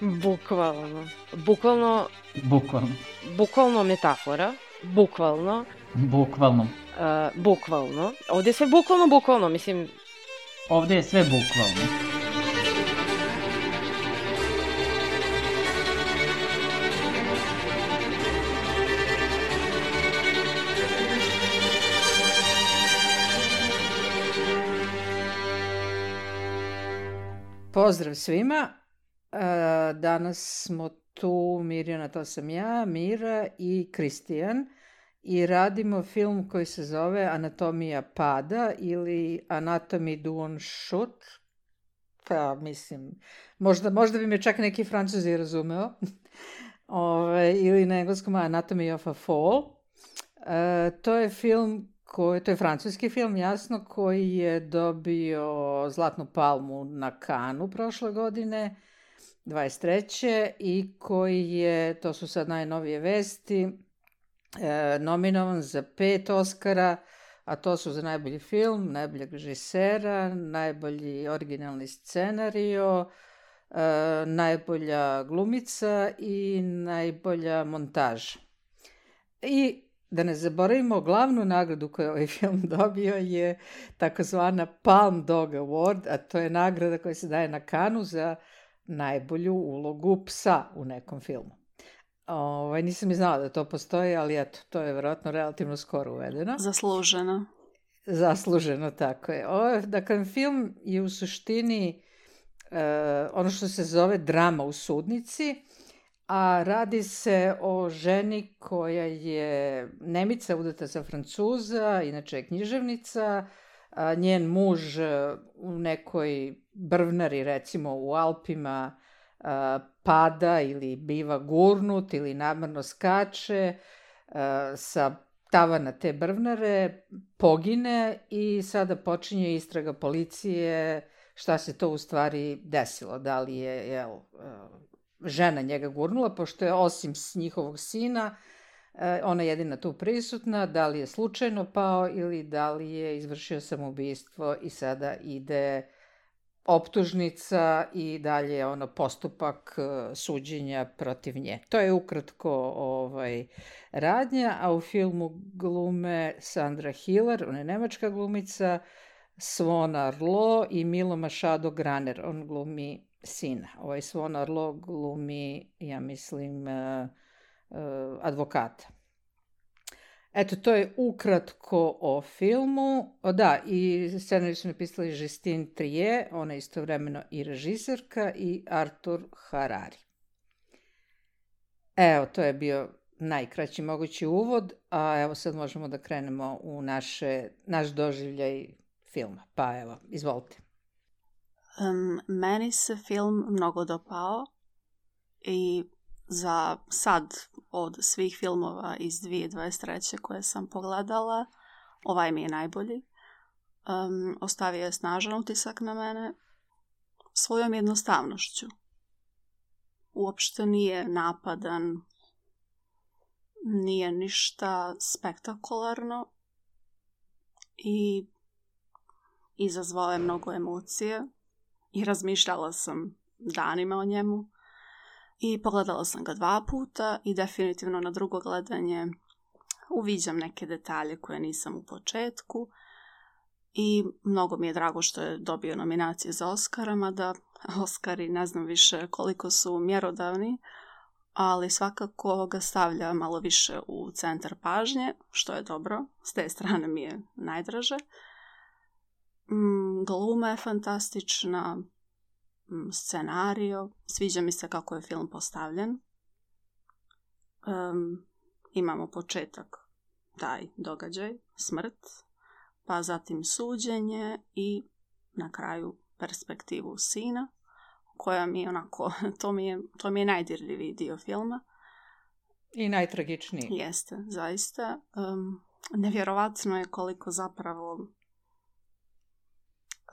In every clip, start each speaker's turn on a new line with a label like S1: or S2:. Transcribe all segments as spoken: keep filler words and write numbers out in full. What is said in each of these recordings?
S1: Bukvalno. Bukvalno,
S2: Bukvalno.
S1: bukvalno metafora. Bukvalno.
S2: Bukvalno.
S1: Uh, bukvalno. Ovdje je sve bukvalno, bukvalno, mislim...
S2: Ovdje je sve bukvalno.
S3: Pozdrav svima. Danas smo tu, Mirjana, to sam ja, Mira i Kristijan, i radimo film koji se zove Anatomija pada ili Anatomy du on shoot. Pa, mislim, možda, možda bi me čak neki Francuzi razumeo. Ove, ili na engleskom Anatomy of a Fall. E, to je film koji, to je francuski film, jasno, koji je dobio Zlatnu palmu na Cannesu prošle godine, dvadeset treće i koji je, to su sad najnovije vesti, e, nominovan za pet Oscara, a to su za najbolji film, najboljeg režisera, najbolji originalni scenario, e, najbolja glumica i najbolja montaža. I da ne zaboravimo, glavnu nagradu koju ovaj film dobio je takozvana Palm Dog Award, a to je nagrada koja se daje na Cannesu za najbolju ulogu psa u nekom filmu. Ovaj, nisam i znala da to postoji, ali eto, to je vjerojatno relativno skoro uvedeno.
S4: Zasluženo.
S3: Zasluženo, tako je. Ovo, dakle, film je u suštini uh, ono što se zove drama u sudnici, a radi se o ženi koja je Nemica, udata za Francuza, inače je književnica, a njen muž u nekoj brvnari, recimo u Alpima, a, pada ili biva gurnut ili namerno skače a, sa tavana te brvnare, pogine i sada počinje istraga policije šta se to u stvari desilo, da li je, jel, žena njega gurnula, pošto je osim njihovog sina, ona je jedina tu prisutna, da li je slučajno pao ili da li je izvršio samoubistvo i sada ide optužnica i dalje ono postupak suđenja protiv nje. To je ukratko ovaj, radnja, a u filmu glume Sandra Hiller, ona je nemačka glumica, Swan Arlo i Milo Machado Graner, on glumi sina. Ovaj Swan Arlo glumi, ja mislim, uh, uh, advokata. Eto, to je ukratko o filmu. O, da, i scenarij su napisali Justine Triet, ona je istovremeno i režiserka, i Arthur Harari. Evo, to je bio najkraći mogući uvod, a evo sad možemo da krenemo u naše, naš doživljaj filma. Pa evo, izvolite.
S4: Um, meni se film mnogo dopao i za sad od svih filmova iz dvije tisuće dvadeset treće koje sam pogledala, ovaj mi je najbolji. Um, ostavio je snažan utisak na mene svojom jednostavnošću. Uopšte nije napadan, nije ništa spektakularno i izazvao je mnogo emocije. I razmišljala sam danima o njemu i pogledala sam ga dva puta i definitivno na drugo gledanje uviđam neke detalje koje nisam u početku i mnogo mi je drago što je dobio nominacije za Oscara, mada Oscari ne znam više koliko su mjerodavni, ali svakako ga stavlja malo više u centar pažnje, što je dobro, s te strane mi je najdraže. Mm, gluma je fantastična, mm, scenario, sviđa mi se kako je film postavljen. Um, imamo početak, taj događaj, smrt, pa zatim suđenje i na kraju perspektivu sina, koja mi je onako, to mi je, to mi je najdirljiviji dio filma.
S3: I najtragičniji.
S4: Jeste, zaista. Um, nevjerovatno je koliko zapravo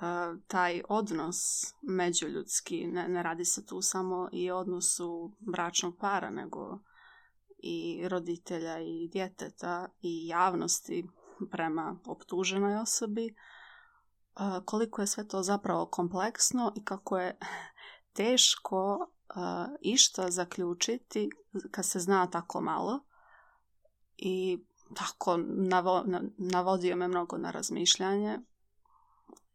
S4: Uh, taj odnos međuljudski, ne, ne radi se tu samo i o odnosu bračnog para, nego i roditelja i djeteta i javnosti prema optuženoj osobi, uh, koliko je sve to zapravo kompleksno i kako je teško uh, išta zaključiti kad se zna tako malo i tako navo, navodio me mnogo na razmišljanje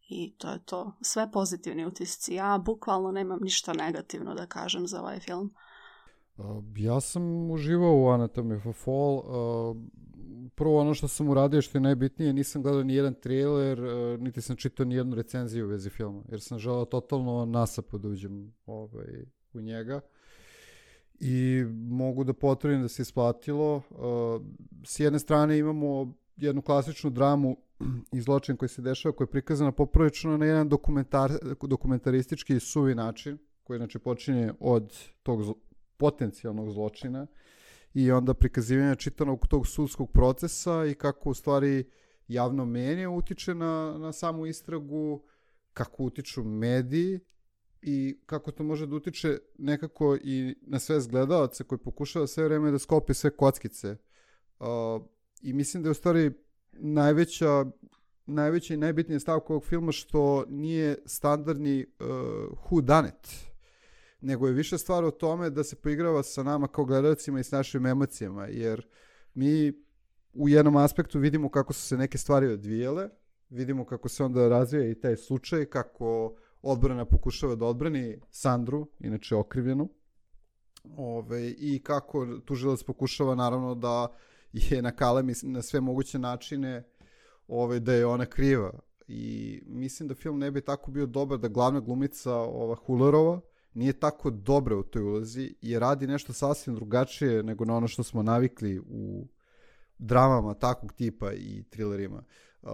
S4: i to je to. Sve pozitivni utisci. Ja bukvalno nemam ništa negativno da kažem za ovaj film.
S5: Uh, ja sam uživao u Anatomy of a Fall. Uh, prvo ono što sam uradio što je najbitnije, nisam gledao ni jedan trailer, uh, niti sam čitao ni jednu recenziju u vezi filma, jer sam želeo totalno nasap da uđem ovaj, u njega. I mogu da potvrdim da se isplatilo. Uh, s jedne strane imamo jednu klasičnu dramu i zločin koji se dešava, koji je prikazana poprilično na jedan dokumentar, dokumentaristički i suvi način, koji znači počinje od tog zlo, potencijalnog zločina i onda prikazivanja čitanog tog sudskog procesa i kako u stvari javno mnjenje utiče na, na samu istragu, kako utiču mediji i kako to može da utiče nekako i na sve gledalaca koji pokušava sve vreme da sklopi sve kockice. Uh, I mislim da je u stvari najveća, najveća i najbitnija stavka ovog filma što nije standardni uh, who done it, nego je više stvar o tome da se poigrava sa nama kao gledalcima i s našim emocijama, jer mi u jednom aspektu vidimo kako su se neke stvari odvijele, vidimo kako se onda razvija i taj slučaj, kako odbrana pokušava da odbrani Sandru, inače okrivljenu, Ove, i kako tužilac pokušava naravno da je nakalemi na sve moguće načine ove, da je ona kriva. I mislim da film ne bi tako bio dobar da glavna glumica ova Hullerova nije tako dobra u toj ulozi i radi nešto sasvim drugačije nego na ono što smo navikli u dramama takvog tipa i thrillerima. Uh,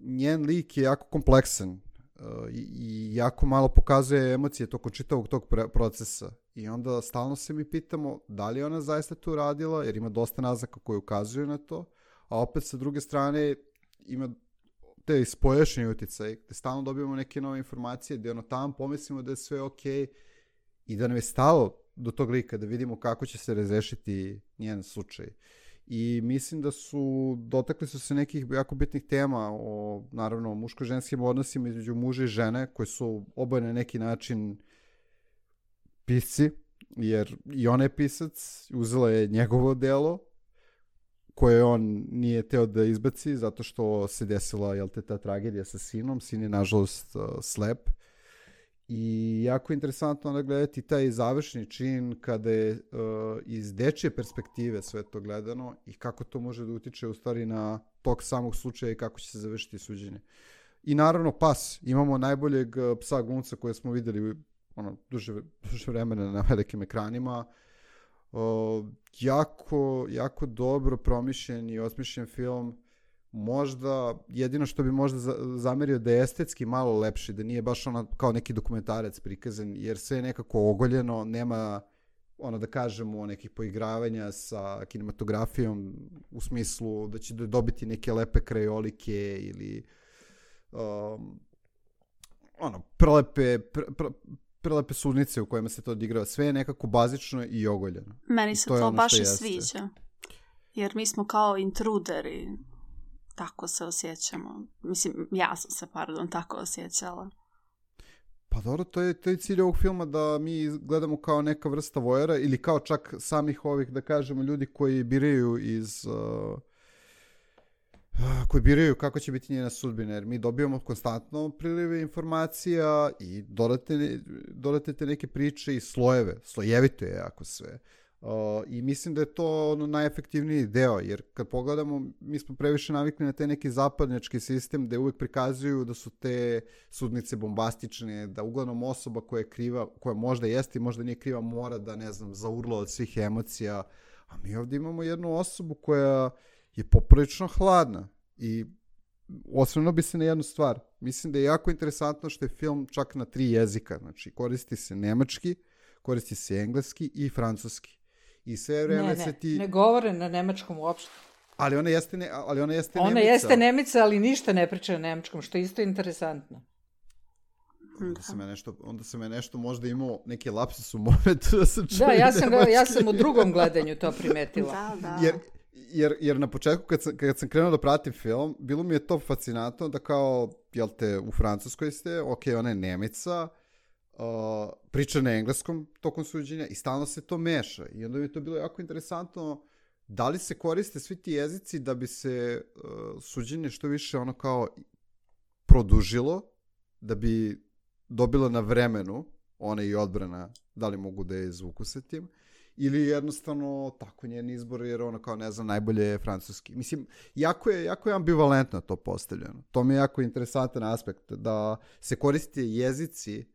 S5: njen lik je jako kompleksan uh, i, i jako malo pokazuje emocije tokom čitavog tog procesa. I onda stalno se mi pitamo da li je ona zaista to radila, jer ima dosta naznaka koji ukazuju na to, a opet sa druge strane ima te spojašnje uticaje, gde stalno dobijamo neke nove informacije, gde ono tamo pomislimo da je sve okej i da nam je stalo do tog lika, da vidimo kako će se razrešiti njen slučaj. I mislim da su, dotakli su se nekih jako bitnih tema o, naravno, muško-ženskim odnosima između muža i žene, koje su oboje na neki način pisci, jer i ona je pisac, uzela je njegovo delo, koje on nije teo da izbaci, zato što se desila, jel te, ta tragedija sa sinom. Sin je, nažalost, uh, slep. I jako je interesantno onda gledati taj završni čin kada je uh, iz dečje perspektive sve to gledano i kako to može da utiče u stvari na tok samog slučaja i kako će se završiti suđenje. I naravno pas. Imamo najboljeg uh, psa glumca koje smo videli ono, duže, duže vremena na velikim ekranima. Uh, jako, jako dobro promišljen i osmišljen film. Možda, jedino što bi možda zamerio da je estetski malo lepši, da nije baš ono kao neki dokumentarac prikazan, jer sve je nekako ogoljeno, nema, ono da kažemo, nekih poigravanja sa kinematografijom u smislu da će dobiti neke lepe krajolike ili um, ono, prelepe, pre, pre, prelepe sudnice u kojima se to odigrava. Sve je nekako bazično i ogoljeno.
S4: Meni se to, to baš i sviđa. Jer mi smo kao intruderi. Tako se osjećamo. Mislim, ja sam se, pardon, tako osjećala.
S5: Pa dobro, to je, to je cilj ovog filma, da mi gledamo kao neka vrsta vojera ili kao čak samih ovih, da kažemo, ljudi koji biraju iz... Uh, koji biraju kako će biti njena sudbina, jer mi dobijamo konstantno prilive informacija i dodate, dodate te neke priče i slojeve. Slojevito je jako sve. Uh, I mislim da je to ono najefektivniji deo, jer kad pogledamo, mi smo previše navikli na te neki zapadnjački sistem gde uvek prikazuju da su te sudnice bombastične, da uglavnom osoba koja je kriva, koja možda jeste i možda nije kriva, mora da, ne znam, zaurla od svih emocija. A mi ovdje imamo jednu osobu koja je poprilično hladna i osvrnuo bi se na jednu stvar. Mislim da je jako interesantno što je film čak na tri jezika. Znači, koristi se nemački, koristi se engleski i francuski. I sve vreme
S3: ne,
S5: se ti...
S3: ne govore na nemačkom uopšte.
S5: Ali ona jeste, ne, ali ona jeste
S3: ona
S5: nemica.
S3: Ona jeste nemica, ali ništa ne priča na nemačkom, što je isto interesantno.
S5: Onda sam ja nešto, onda sam ja nešto možda imao neke lapsus u momentu da sam čuo.
S3: Da, ja sam, ja sam u drugom gledanju to primetila.
S4: Da, da.
S5: Jer, jer, jer na početku kad sam, kad sam krenuo da pratim film, bilo mi je to fascinantno da kao, jel te, u Francuskoj ste, ok, ona je nemica, uh, priča na engleskom tokom suđenja i stalno se to meša. I onda mi je to bilo jako interesantno da li se koriste svi ti jezici da bi se uh, suđenje što više ono kao produžilo, da bi dobilo na vremenu ona i odbrana, da li mogu da je izvuku sa tim, ili jednostavno tako njen izbor, jer ono kao ne znam, najbolje je francuski. Mislim, jako je, jako je ambivalentno to postavljeno. To mi je jako interesantan aspekt, da se koriste jezici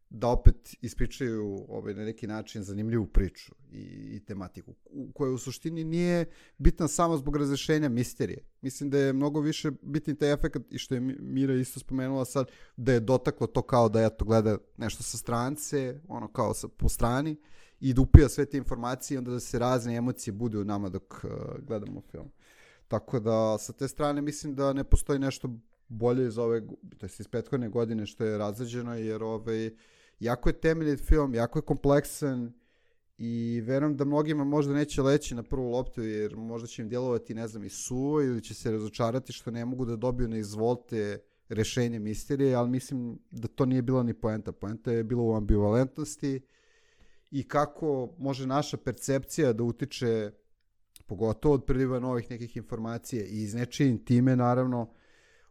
S5: da opet ispričaju ovaj, na neki način zanimljivu priču i, i tematiku, koja u suštini nije bitna samo zbog razrešenja misterije. Mislim da je mnogo više bitni taj efekt, i što je Mira isto spomenula sad, da je dotaklo to kao da ja to gleda nešto sa strance, ono kao sa, po strani, i da upija sve te informacije i onda da se razne emocije bude u nama dok uh, gledamo film. Tako da sa te strane mislim da ne postoji nešto bolje iz ove, to jest iz prethodne godine što je razrađeno, jer ovaj, jako je temeljit film, jako je kompleksan i verujem da mnogima možda neće leći na prvu loptu, jer možda će im djelovati, ne znam, i suvo, ili će se razočarati što ne mogu da dobiju na izvolte rešenje misterije, ali mislim da to nije bila ni poenta. Poenta je bila u ambivalentnosti i kako može naša percepcija da utiče, pogotovo od priliva novih nekih informacija i iz nečije intime, naravno,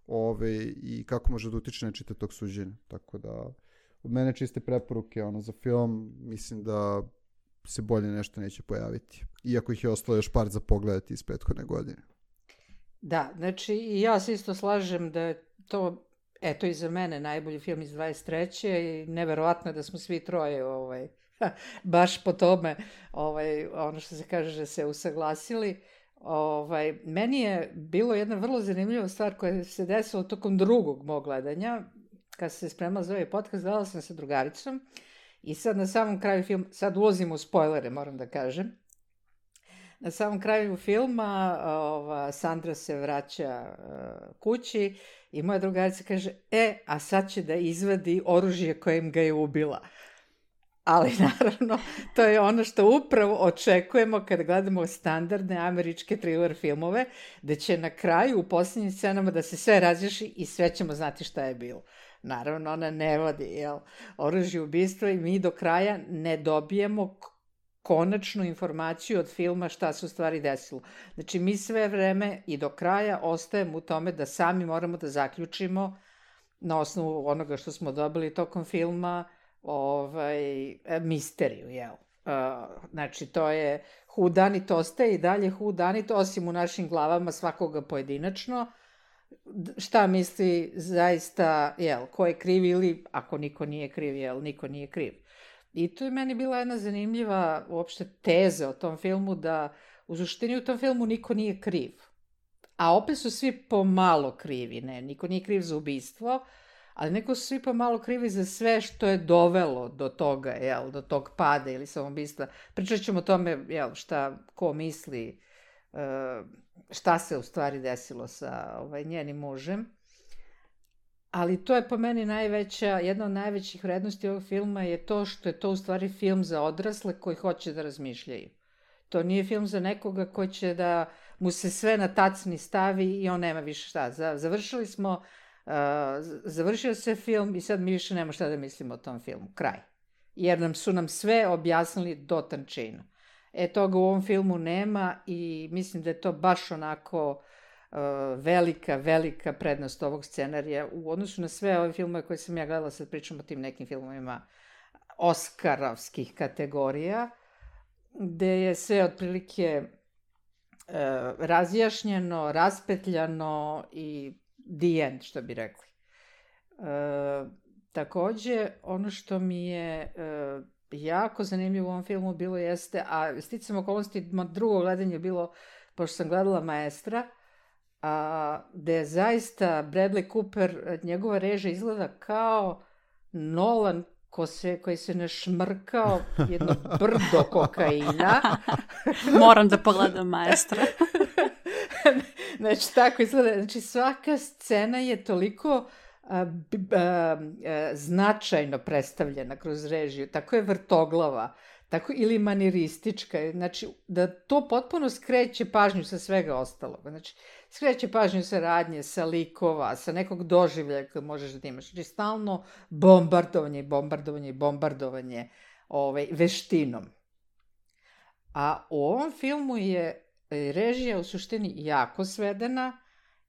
S5: ove, i kako može da utiče na čitav tog suđenja. Tako da, od mene čiste preporuke ono, za film, mislim da se bolje nešto neće pojaviti. Iako ih je ostalo još par za pogledati iz prethodne godine.
S3: Da, znači i ja se isto slažem da je to, eto i za mene, najbolji film iz dvadeset treće i neverovatno da smo svi troje ovaj, baš po tome, ovaj, ono što se kaže, da se usaglasili. Ovaj, meni je bilo jedna vrlo zanimljiva stvar koja se desila tokom drugog mog gledanja. Kad se spremala za ovaj podcast, gledala sam sa drugaricom i sad na samom kraju filma, sad ulazim u spoilere, moram da kažem, na samom kraju filma ova, Sandra se vraća uh, kući i moja drugarica kaže, e, a sad će da izvadi oružje kojim ga je ubila. Ali naravno, to je ono što upravo očekujemo kada gledamo standardne američke thriller filmove, da će na kraju u posljednjim scenama da se sve razreši i sve ćemo znati šta je bilo. Naravno, ona ne vodi jel, oružje ubistva i mi do kraja ne dobijemo konačnu informaciju od filma šta se u stvari desilo. Znači, mi sve vreme i do kraja ostajemo u tome da sami moramo da zaključimo na osnovu onoga što smo dobili tokom filma ovaj, misteriju, jel? Uh, znači, to je whodunit, ostaje i dalje whodunit, osim u našim glavama svakoga pojedinačno, šta misli zaista, jel, ko je kriv ili, ako niko nije kriv, jel, niko nije kriv. I to je meni bila jedna zanimljiva uopšte teza o tom filmu, da u suštini u tom filmu niko nije kriv. A opet su svi pomalo krivi, ne, niko nije kriv za ubistvo, ali neko su svi pomalo krivi za sve što je dovelo do toga, jel, do tog pada ili samoubistva. Pričat ćemo o tome, jel, šta, ko misli, šta se u stvari desilo sa ovaj, njenim mužem. Ali to je po meni najveća, jedna od najvećih vrednosti ovog filma je to što je to u stvari film za odrasle koji hoće da razmišljaju. To nije film za nekoga koji će da mu se sve na tacni stavi i on nema više šta. Završili smo, uh, završio se film i sad mi više nema šta da mislimo o tom filmu. Kraj. Jer nam su nam sve objasnili do tančina. E, toga u ovom filmu nema i mislim da je to baš onako uh, velika, velika prednost ovog scenarija u odnosu na sve ove filmove koje sam ja gledala, sad pričam o tim nekim filmovima oskarovskih kategorija, gde je sve otprilike uh, razjašnjeno, raspetljano i the end, što bi rekli. Uh, takođe, ono što mi je uh, jako zanimljivo u ovom filmu bilo jeste, a sticam okolnosti, drugo gledanje je bilo, pošto sam gledala Maestra, a, gde je zaista Bradley Cooper, njegova režija izgleda kao Nolan ko se, koji se našmrkao jedno brdo kokaina.
S4: Moram da pogledam Maestra.
S3: Znači, tako izgleda. Znači, svaka scena je toliko A, a, a, značajno predstavljena kroz režiju, tako je vrtoglava, tako, ili maniristička, znači da to potpuno skreće pažnju sa svega ostalog. Znači, skreće pažnju sa radnje, sa likova, sa nekog doživljaja koje možeš da imaš. Znači, stalno bombardovanje, bombardovanje, bombardovanje ovaj, veštinom. A u ovom filmu je režija u suštini jako svedena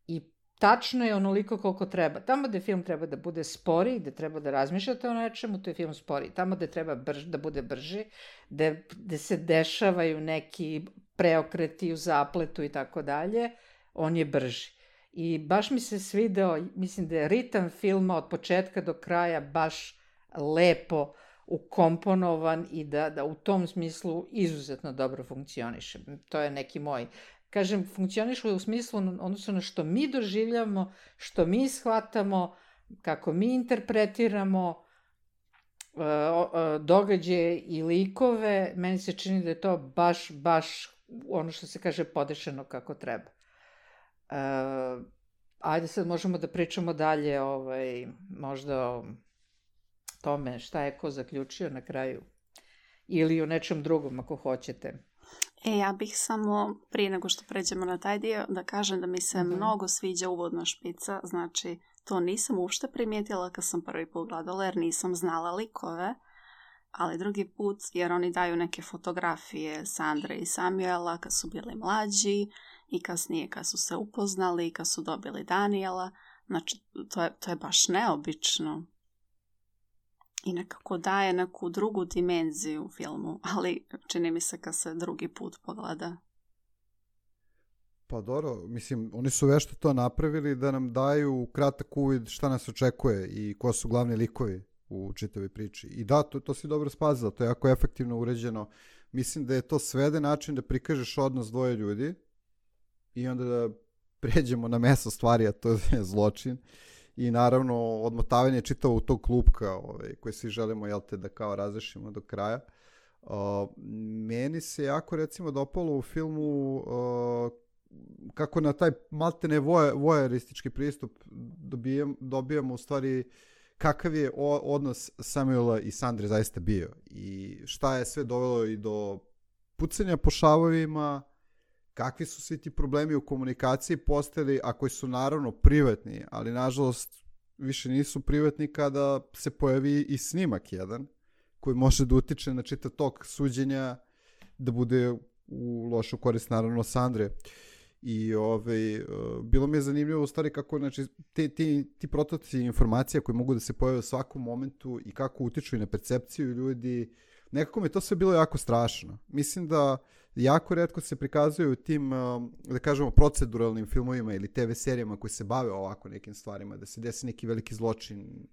S3: i tačno je onoliko koliko treba. Tamo gde film treba da bude spori, gde treba da razmišljate o nečemu, to je film spori. Tamo gde treba brž, da bude brži, gde, gde se dešavaju neki preokreti u zapletu i tako dalje, on je brži. I baš mi se svideo, mislim da je ritam filma od početka do kraja baš lepo ukomponovan i da, da u tom smislu izuzetno dobro funkcioniše. To je neki moj... Kažem, funkcioniše u smislu odnosno na što mi doživljamo, što mi shvatamo, kako mi interpretiramo uh, uh, događaje i likove. Meni se čini da je to baš, baš ono što se kaže podešeno kako treba. Uh, ajde sad možemo da pričamo dalje ovaj, možda o tome šta je ko zaključio na kraju. Ili o nečem drugom ako hoćete.
S4: E, ja bih samo, prije nego što pređemo na taj dio, da kažem da mi se mm-hmm. mnogo sviđa uvodna špica. Znači, to nisam uopšte primijetila kad sam prvi put gledala, jer nisam znala likove. Ali drugi put, jer oni daju neke fotografije Sandre i Samuela kad su bili mlađi i kasnije kad su se upoznali i kad su dobili Daniela. Znači, to je, to je baš neobično. I nekako daje neku drugu dimenziju u filmu, ali čini mi se kad se drugi put pogleda.
S5: Pa dobro, mislim, oni su vešto to napravili da nam daju kratak uvid šta nas očekuje i ko su glavni likovi u čitavoj priči. I da, to, to si dobro spazila, to je jako efektivno uređeno. Mislim da je to svede način da prikažeš odnos dvoje ljudi i onda da pređemo na meso stvari, a to je zločin. I naravno odmotavanje čitavo u tog klupka ovaj, koje svi želimo jel te, da kao razrešimo do kraja. Uh, meni se jako recimo dopalo u filmu uh, kako na taj maltene voajeristički pristup dobijem, dobijamo u stvari kakav je o, odnos Samuela i Sandre zaista bio i šta je sve dovelo i do pucanja po šavovima, kakvi su svi ti problemi u komunikaciji postali, a koji su naravno privatni, ali nažalost više nisu privatni kada se pojavi i snimak jedan, koji može da utiče na čitav tok suđenja, da bude u lošu korist naravno Sandre. I ovaj, bilo mi je zanimljivo u stvari kako znači, ti, ti, ti prototipi informacija koji mogu da se pojave u svakom momentu i kako utiču i na percepciju ljudi, nekako mi je to sve bilo jako strašno. Mislim da jako retko se prikazuju u tim, da kažemo, proceduralnim filmovima ili te ve serijama koji se bave ovako nekim stvarima, da se desi neki veliki zločin.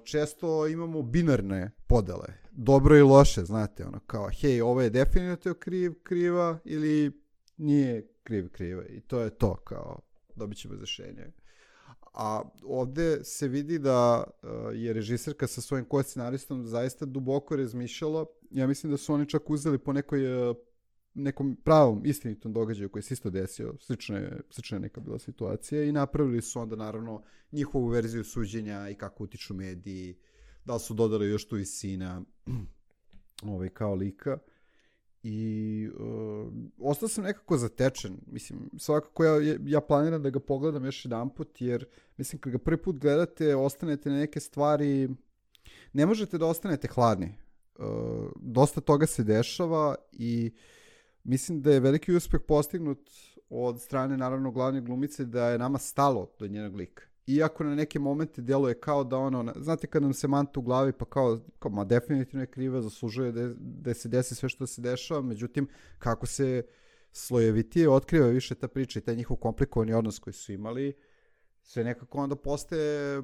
S5: Često imamo binarne podele, dobro i loše, znate, ono kao, hej, ovo je definitivno kriv, kriva ili nije kriv, kriva i to je to, kao, dobit ćemo razrešenje. A ovde se vidi da je režiserka sa svojim ko-scenaristom zaista duboko razmišljala. Ja mislim da su oni čak uzeli po nekoj, nekom pravom istinitom događaju koji se isto desio. Slična je, slična je neka bila situacija i napravili su onda naravno njihovu verziju suđenja i kako utiču mediji, da li su dodali još tu i sina ovaj, kao lika. I uh, ostao sam nekako zatečen. Mislim, svakako ja, ja planiram da ga pogledam još jedan put, jer mislim kad ga prvi put gledate, ostanete na neke stvari, ne možete da ostanete hladni. Uh, dosta toga se dešava i mislim da je veliki uspeh postignut od strane naravno glavne glumice da je nama stalo do njenog lika. Iako na neke momente djeluje kao da ono, znate kad nam se manta u glavi pa kao, kao ma definitivno je kriva, zaslužuje da, da se desi sve što se dešava, međutim kako se slojevitije otkriva više ta priča i taj njihov komplikovani odnos koji su imali, sve nekako onda postaje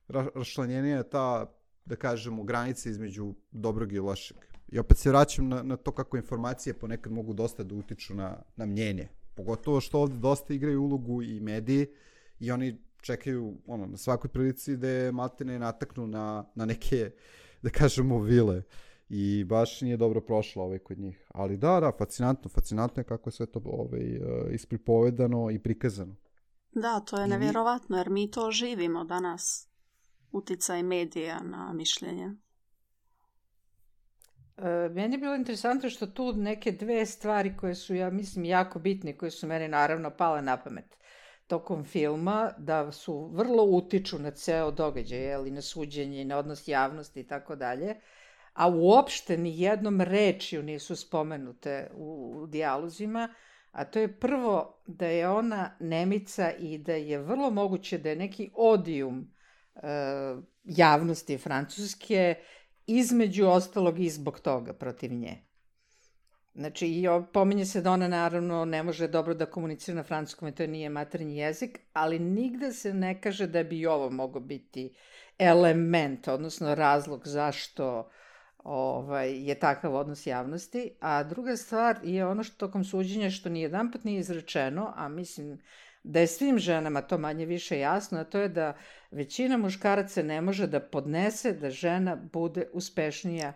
S5: ra- raščlanjenija ta, da kažemo, granica između dobrog i lošeg. I opet se vraćam na, na to kako informacije ponekad mogu dosta da utiču na, na mnjenje. Pogotovo što ovdje dosta igraju ulogu i mediji i oni čekaju ono, na svakoj prilici da je maltene nataknu na, na neke, da kažemo, vile. I baš nije dobro prošlo ovaj kod njih. Ali da, da, fascinantno, fascinantno je kako je sve to ovaj, ispripovedano i prikazano.
S4: Da, to je nevjerovatno, jer mi to živimo danas. Uticaj medija na mišljenje.
S3: E, meni je bilo interesantno što tu neke dve stvari koje su, ja mislim, jako bitne, koje su meni naravno pale na pamet tokom filma, da su vrlo utiču na ceo događaj, ali na suđenje, na odnos javnosti i tako dalje, a uopšte ni jednom rečju nisu spomenute u, u dijalozima, a to je prvo da je ona Nemica i da je vrlo moguće da je neki odijum e, javnosti Francuske, između ostalog i zbog toga protiv nje. Znači, i pominje se da ona naravno ne može dobro da komunicira na francuskom i to nije maternji jezik, ali nigde se ne kaže da bi ovo mogao biti element, odnosno razlog zašto ovaj, je takav odnos javnosti. A druga stvar je ono što tokom suđenja što ni jedan put nije izrečeno, a mislim da je svim ženama to manje više jasno, a to je da većina muškaraca ne može da podnese da žena bude uspešnija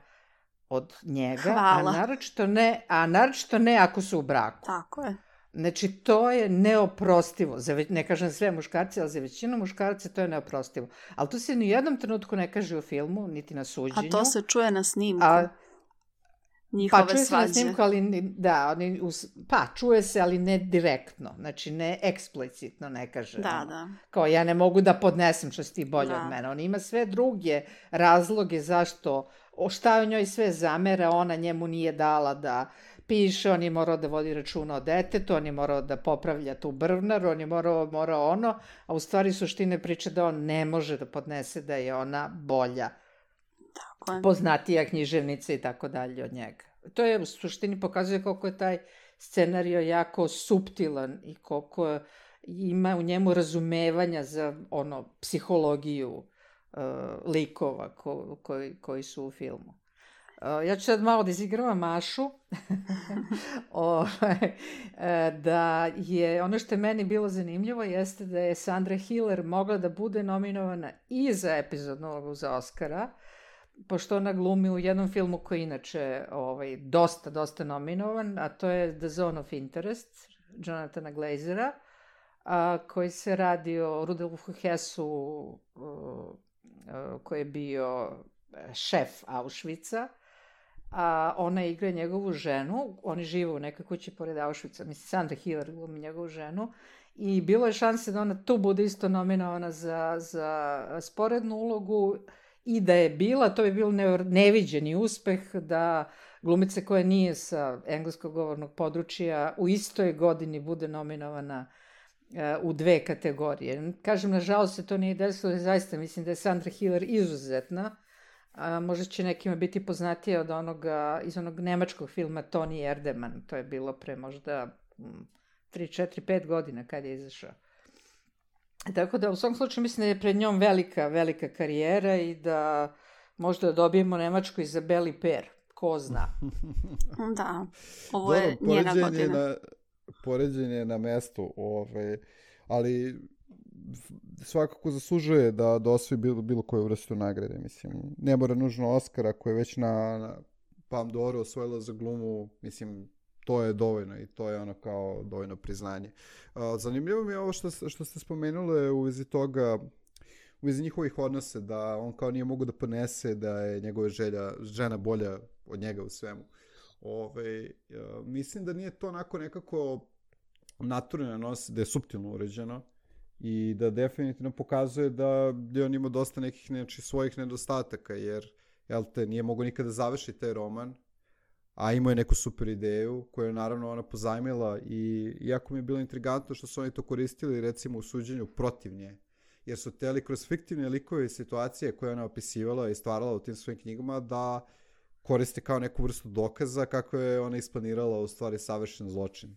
S3: od njega,
S4: Hvala.
S3: a naročito ne, a naročito ne ako su u braku.
S4: Tako je.
S3: Znači, to je neoprostivo. Za ve, ne kažem sve muškarci, ali za većinu muškarca to je neoprostivo. Ali to se ni u jednom trenutku ne kaže u filmu, niti na suđenju.
S4: A to se čuje na snimku.
S3: A,
S4: Njihove
S3: pa čuje
S4: svađe.
S3: se na snimku, ali ni, da, oni, us, pa čuje se, ali ne direktno. Znači, ne eksplicitno ne kaže.
S4: Da,
S3: ono,
S4: da.
S3: Kao ja ne mogu da podnesem što si ti bolje
S4: Da.
S3: od mene. On ima sve druge razloge zašto, o šta je njoj sve zamera, ona njemu nije dala da piše, on je morao da vodi računa o detetu, on je morao da popravlja tu brvnar, on je morao, morao ono, a u stvari suštine priče da on ne može da podnese da je ona bolja,
S4: Tako je.
S3: poznatija književnica i tako dalje od njega. To je u suštini pokazuje koliko je taj scenario jako suptilan i koliko ima u njemu razumevanja za ono psihologiju uh, likova ko, koji, koji su u filmu. Uh, ja ću sad malo da izigravam Mašu. o, da je, ono što je meni bilo zanimljivo jeste da je Sandra Hiller mogla da bude nominovana i za epizodnu ulogu za Oscara, pošto ona glumi u jednom filmu koji je inače ovaj, dosta, dosta nominovan, a to je The Zone of Interest, Jonathana Glazera, a, koji se radi o Rudolfu Hessu, uh, koji je bio šef Auschwitza, a ona igra njegovu ženu, oni žive u nekoj kući pored Auschwitza, mislim, Sandra Hiller glumi njegovu ženu, i bilo je šanse da ona tu bude isto nominovana za, za sporednu ulogu, i da je bila, to bi bilo neviđeni uspeh da glumica koja nije sa engleskog govornog područja u istoj godini bude nominovana u dve kategorije. Kažem, nažalost se to nije desilo, jer zaista mislim da je Sandra Hiller izuzetna. A, možda će nekima biti poznatija od onoga, iz onog nemačkog filma Toni Erdmann. To je bilo pre možda tri, četiri, pet godina kad je izašao. Tako da u svom slučaju mislim da je pred njom velika, velika karijera i da možda dobijemo Nemačku Izabeli Per. Ko zna.
S4: Da, ovo je Dobro, njena godina.
S5: Na, poređenje na mestu, ovaj, ali svakako zaslužuje da, da osvoji bilo, bilo koju vrstu nagrade. Mislim, ne mora nužno Oscara koji je već na, na Palme d'Or osvojila za glumu, mislim, to je dovoljno i to je ono kao dovoljno priznanje. Uh, zanimljivo mi je ovo što, što ste spomenuli u vezi toga, u vezi njihovih odnose, da on kao nije mogu da ponese da je njegova želja, žena bolja od njega u svemu. Ove, uh, mislim da nije to onako nekako naturalno nos, da je suptilno uređeno i da definitivno pokazuje da je on imao dosta nekih znači, svojih nedostataka, jer jel te, nije mogo nikada završiti taj roman, a imao je neku super ideju koju je naravno ona pozajmila i jako mi je bilo intrigantno što su oni to koristili recimo u suđenju protiv nje, jer su teli kroz fiktivne likove i situacije koje ona opisivala i stvarala u tim svojim knjigama da koriste kao neku vrstu dokaza kako je ona isplanirala u stvari savršen zločin.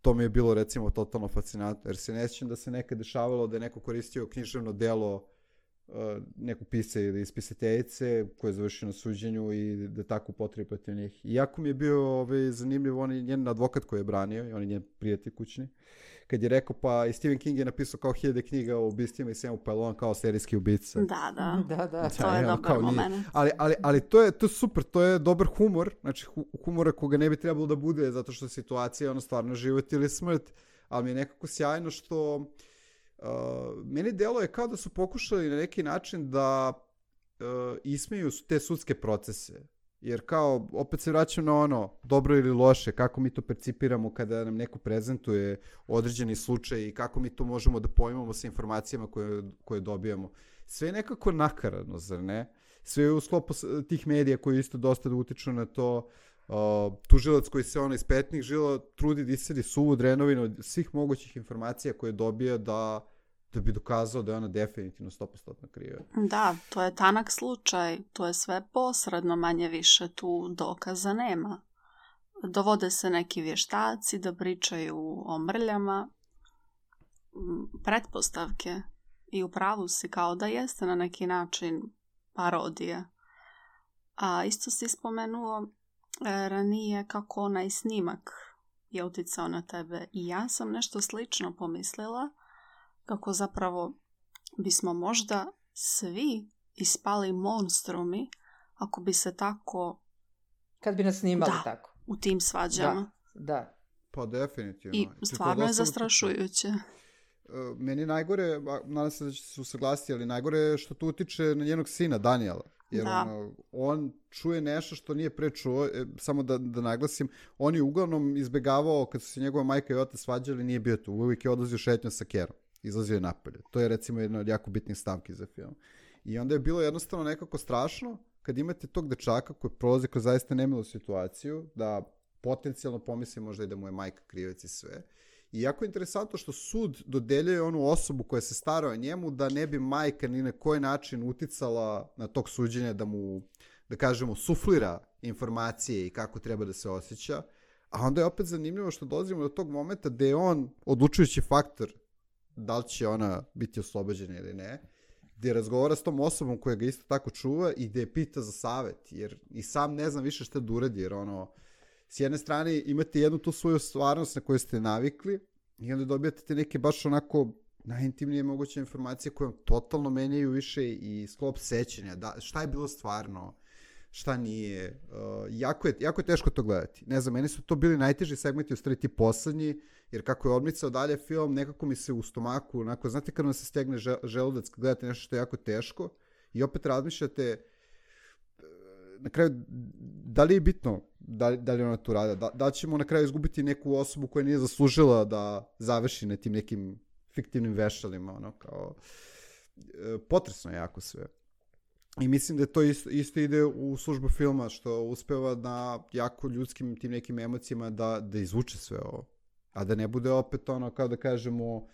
S5: To mi je bilo recimo totalno fascinantno, jer se ne sjećam da se nekad dešavalo da je neko koristio književno delo neku pisce ili ispisateljice koja je završila na suđenju i da tako upotrebi protiv njih. Iako mi je bio ovaj, zanimljiv, on je njen advokat koji je branio, on je njen prijatelj kućni, kad je rekao, pa i Stephen King je napisao kao hiljade knjiga o ubistvima i svemu, pa je on kao serijski ubica.
S4: Da, da,
S3: da, da.
S4: to je dobar moment.
S5: Ali, ali, ali to, je, to je super, to je dobar humor, znači humora koga ne bi trebalo da bude, zato što situacija je ono stvarno život ili smrt, ali mi je nekako sjajno što Uh, meni delo je kao da su pokušali na neki način da uh, ismeju te sudske procese. Jer kao, opet se vraćam na ono, dobro ili loše, kako mi to percipiramo kada nam neko prezentuje određeni slučaj i kako mi to možemo da pojmamo sa informacijama koje, koje dobijamo. Sve je nekako nakaradno, zar ne? Sve je u sklopu tih medija koji isto dosta da utiču na to. Uh, tužilac koji se ono iz petnih žila trudi da iscedi suvu drenovinu od svih mogućih informacija koje dobija da, da bi dokazao da je ona definitivno sto posto kriva.
S4: Da, to je tanak slučaj, to je sve posredno, manje više, tu dokaza nema. Dovode se neki vještaci da pričaju o mrljama, pretpostavke, i u pravu si, kao da jeste na neki način parodija. A isto si spomenuo e, ranije kako onaj snimak je uticao na tebe, i ja sam nešto slično pomislila, kako zapravo bismo možda svi ispali monstrumi ako bi se tako...
S3: Kad bi nas snimali
S4: da,
S3: tako.
S4: u tim svađama.
S3: Da, da.
S5: Pa definitivno.
S4: I stvarno je zastrašujuće.
S5: Meni najgore, nadam se da će se usaglasiti, ali najgore je što to utiče na njenog sina, Daniela. Jer ono, on čuje nešto što nije pre čuo, e, samo da, da naglasim, on je uglavnom izbegavao, kad su se njegova majka i otac svađali, nije bio tu. Uvijek je odlazio šetnjom sa kerom. Izlazio je napolje. To je recimo jedna od jako bitnih stavki za film. I onda je bilo jednostavno nekako strašno kad imate tog dečaka koji prolazi kroz zaista nemilu situaciju, da potencijalno pomisli možda i da mu je majka krivac i sve. I jako je interesantno što sud dodeljuje onu osobu koja se stara o njemu da ne bi majka ni na koji način uticala na tog suđenja da mu, da kažemo, suflira informacije i kako treba da se osjeća. A onda je opet zanimljivo što dolazimo do tog momenta gde je on odlučujući faktor da li će ona biti oslobođena ili ne, gde razgovara s tom osobom koja ga isto tako čuva i gde je pita za savet, jer i sam ne znam više šta da uradi, jer ono, s jedne strane imate jednu tu svoju stvarnost na koju ste navikli i onda dobijate te neke baš onako najintimnije moguće informacije koje vam totalno menjaju više i sklop sećanja, da, šta je bilo stvarno, šta nije. Uh, jako, je, jako je teško to gledati. Ne znam, meni su to bili najteži segmenti, u stvari ti poslednji, jer kako je odmicao dalje film, nekako mi se u stomaku, onako, znate kad vam se stegne želudac kad gledate nešto što je jako teško i opet razmišljate na kraju, da li je bitno da li, da li ona tu rada, da, da ćemo na kraju izgubiti neku osobu koja nije zaslužila da završi na tim nekim fiktivnim vešalima, ono, kao potresno je jako sve. I mislim da to isto, isto ide u službu filma, što uspeva na jako ljudskim tim nekim emocijama da, da izvuče sve ovo. A da ne bude opet ono, kao da kažemo,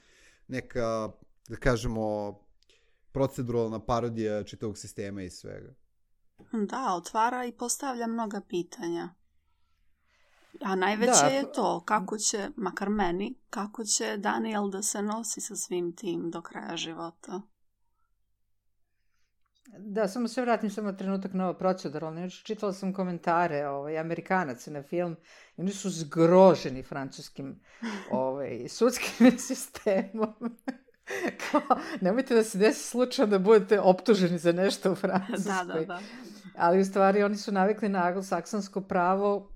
S5: neka, da kažemo, proceduralna parodija čitavog sistema i svega.
S4: Da, otvara i postavlja mnoga pitanja. A najveće da, je to kako će, makar meni, kako će Daniel da se nosi sa svim tim do kraja života.
S3: Da, samo se vratim samo trenutak na ovo proceduralno. Čitala sam komentare ovaj, Amerikanaca na film i oni su zgroženi francuskim ovaj, sudskim sistemom. Kao, nemojte da se desi slučajno da budete optuženi za nešto u Francuskoj.
S4: Da, da, da.
S3: Ali u stvari oni su navikli na anglosaksonsko pravo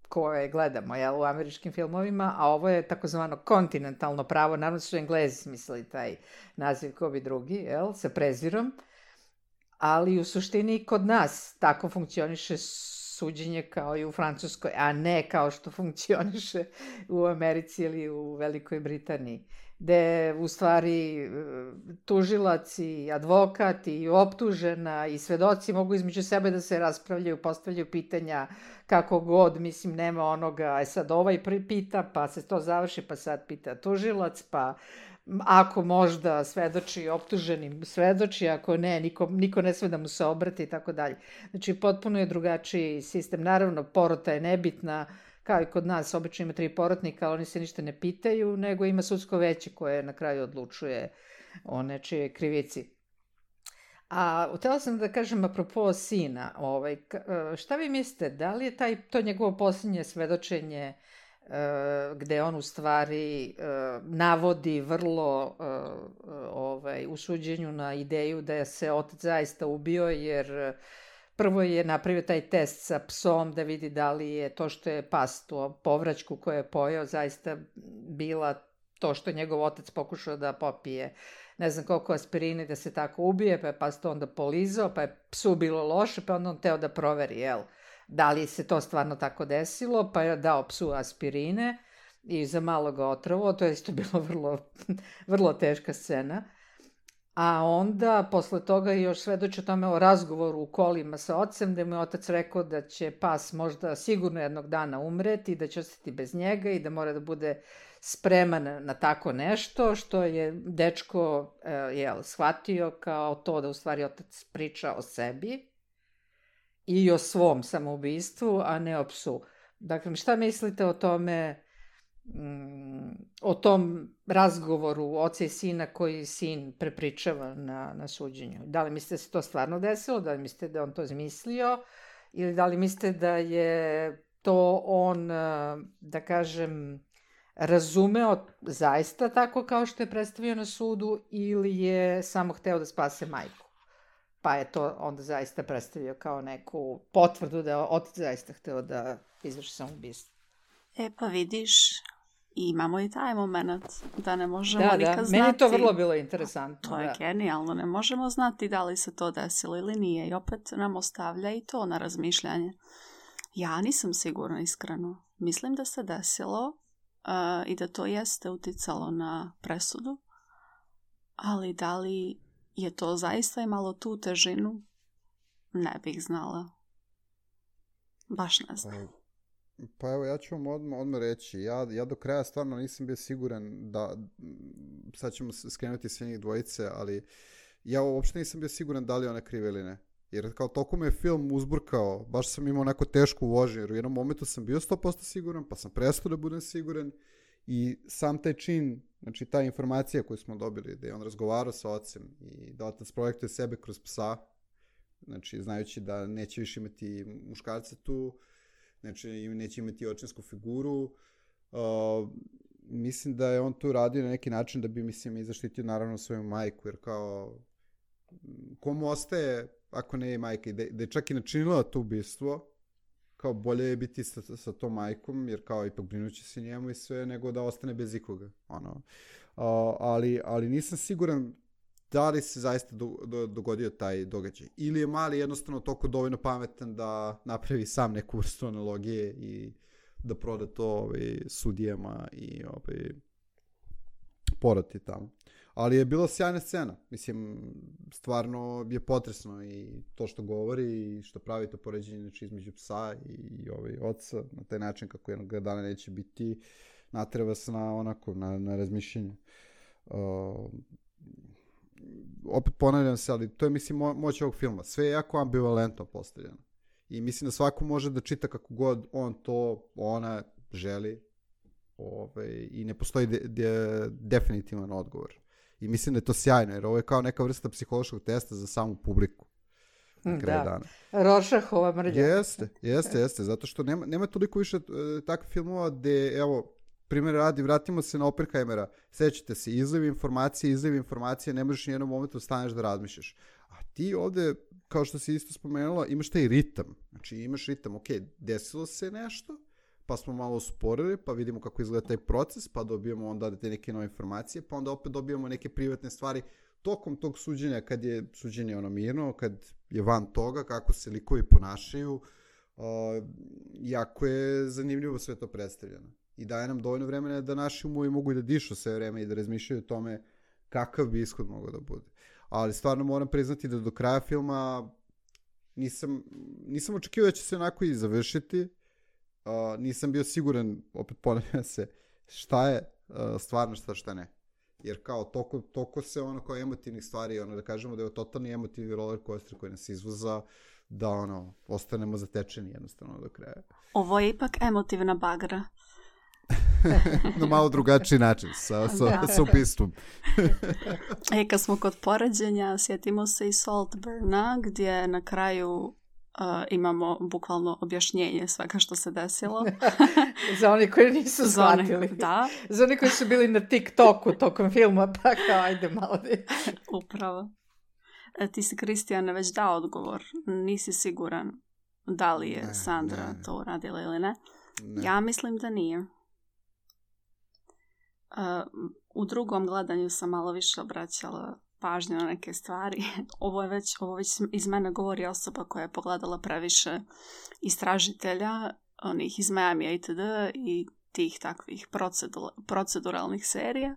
S3: koje gledamo, jel, u američkim filmovima, a ovo je takozvano kontinentalno pravo. Naravno su Englezi smislili taj naziv ko bi drugi, jel, sa prezirom. Ali u suštini kod nas tako funkcioniše suđenje kao i u Francuskoj, a ne kao što funkcioniše u Americi ili u Velikoj Britaniji, gde u stvari tužilac i advokat i optužena i svedoci mogu između sebe da se raspravljaju, postavljaju pitanja kako god, mislim, nema onoga, e sad ovaj pita, pa se to završi, pa sad pita tužilac, pa ako možda svedoči optuženi, svedoči, ako ne, niko, niko ne sve da mu se obrati i tako dalje. Znači, potpuno je drugačiji sistem. Naravno, porota je nebitna, kao i kod nas, obično ima tri porotnika, ali oni se ništa ne pitaju, nego ima sudsko veće koje na kraju odlučuje o nečije krivici. A htjela sam da kažem apropo sina, ovaj, šta vi mislite, da li je taj, to njegovo posljednje svedočenje gde on u stvari navodi vrlo ovaj, u suđenju na ideju da je se otac zaista ubio, jer prvo je napravio taj test sa psom da vidi da li je to što je pas, tu povraćku koju je pojeo, zaista bila to što je njegov otac pokušao da popije ne znam koliko aspirine da se tako ubije, pa je pas to onda polizao, pa je psu bilo loše, pa onda on teo da proveri, jel, da li se to stvarno tako desilo, pa je dao psu aspirine i za malo ga otrovo, to je isto bilo vrlo, vrlo teška scena. A onda, posle toga, još svedoči o tome o razgovoru u kolima sa ocem, da mu je otac rekao da će pas možda sigurno jednog dana umreti, da će ostati bez njega i da mora da bude spreman na tako nešto, što je dečko e, jel, shvatio kao to da u stvari otac priča o sebi i o svom samoubistvu, a ne o psu. Dakle, šta mislite o tome, mm, o tom razgovoru oca i sina koji sin prepričava na, na suđenju? Da li mislite da se to stvarno desilo, da li mislite da on to izmislio, ili da li mislite da je to on, da kažem, razumeo zaista tako kao što je predstavio na sudu, ili je samo hteo da spase majku? Pa je to onda zaista predstavio kao neku potvrdu da je otac zaista hteo da izvrši samoubistvo.
S4: E pa vidiš, imamo i taj moment da ne možemo
S3: da,
S4: nikad
S3: da.
S4: znati.
S3: Meni je to vrlo bilo interesantno.
S4: To je
S3: da.
S4: genijalno, ne možemo znati da li se to desilo ili nije i opet nam ostavlja i to na razmišljanje. Ja nisam sigurna iskreno. Mislim da se desilo uh, i da to jeste uticalo na presudu, ali da li je to zaista imalo tu težinu, ne bih znala. Baš ne znam.
S5: Pa evo, ja ću vam odmah, odmah reći, ja, ja do kraja stvarno nisam bio siguran da, sad ćemo skrenuti sve njih dvojice, ali ja uopšte nisam bio siguran da li ona krive ili ne. Jer kao toliko me je film uzburkao, baš sam imao onako tešku vožnju, jer u jednom momentu sam bio sto posto siguran, pa sam prestao da budem siguran i sam taj čin, znači ta informacija koju smo dobili, da je on razgovarao sa ocem i da otac projektuje sebe kroz psa, znači znajući da neće više imati muškarca tu, znači neće imati očinsku figuru, uh, mislim da je on tu radio na neki način da bi, mislim, i zaštitio naravno svoju majku, jer kao komu ostaje ako ne je majka, da, da je čak i načinila to ubistvo, kao bolje je biti sa, sa tom majkom, jer kao ipak brinući se njemu i sve, nego da ostane bez ikoga. Ono. Uh, ali, ali nisam siguran da li se zaista do, do, dogodio taj događaj. Ili je Mali jednostavno toliko dovoljno pametan da napravi sam neku vrstu analogije i da proda to ovaj, sudijama i ovaj, porati tamo. Ali je bila sjajna scena. Mislim, stvarno je potresno i to što govori i što pravi to poređenje znači, između psa i, i ovaj, oca na taj način kako jednog dana neće biti, natreva se na, onako, na, na razmišljenje. Uh, opet ponavljam se, ali to je, mislim, mo- moć ovog filma. Sve je jako ambivalentno postavljeno. I mislim da svako može da čita kako god on to, ona želi ovaj, i ne postoji de- de- definitivan odgovor. I mislim da je to sjajno, jer ovo je kao neka vrsta psihološkog testa za samu publiku. Na kraju
S3: da.
S5: dana.
S3: Rorschachova mrlja.
S5: Jeste, jeste, jeste, zato što nema, nema toliko više uh, takvih filmova gde, evo, primjer radi, vratimo se na Oppenheimera, sećate se, izliv informacije, izliv informacije, ne možeš ni jednom momentu staneš da razmišljaš. A ti ovde, kao što si isto spomenula, imaš taj ritam. Znači imaš ritam, ok, desilo se nešto, pa smo malo usporili, pa vidimo kako izgleda taj proces, pa dobijemo onda te neke nove informacije, pa onda opet dobijemo neke privatne stvari tokom tog suđenja, kad je suđenje ono mirno, kad je van toga, kako se likovi ponašaju, uh, jako je zanimljivo sve to predstavljeno. I daje nam dovoljno vremena da naši umovi mogu i da dišu sve vreme i da razmišljaju o tome kakav bi ishod mogao da bude. Ali stvarno moram priznati da do kraja filma nisam, nisam očekivao da će se onako i završiti. Uh, nisam bio siguran, opet ponavljam se, šta je uh, stvarno, šta šta ne. Jer kao toko, toko se ono kao emotivnih stvari, ono da kažemo da je totalni emotivni roller coaster koji nas izvoza, da ono, ostanemo zatečeni jednostavno do kraja.
S4: Ovo je ipak emotivna bagra.
S5: Na malo drugačiji način, sa, sa, sa ubistvom.
S4: E, kad smo kod poređenja, sjetimo se i Saltburna, gdje na kraju Uh, imamo bukvalno objašnjenje svega što se desilo.
S3: Za oni koji nisu shvatili.
S4: Da.
S3: Za oni koji su bili na TikToku tokom filma, pa kao ajde malo da...
S4: Upravo. E, ti si, Kristijane, već dao odgovor. Nisi siguran da li je ne, Sandra ne, ne. to uradila ili ne. ne. Ja mislim da nije. Uh, u drugom gledanju sam malo više obraćala pažnju na neke stvari. Ovo je već, ovo već iz mene govori osoba koja je pogledala previše istražitelja, onih iz Miami itd. I tih takvih procedur, proceduralnih serija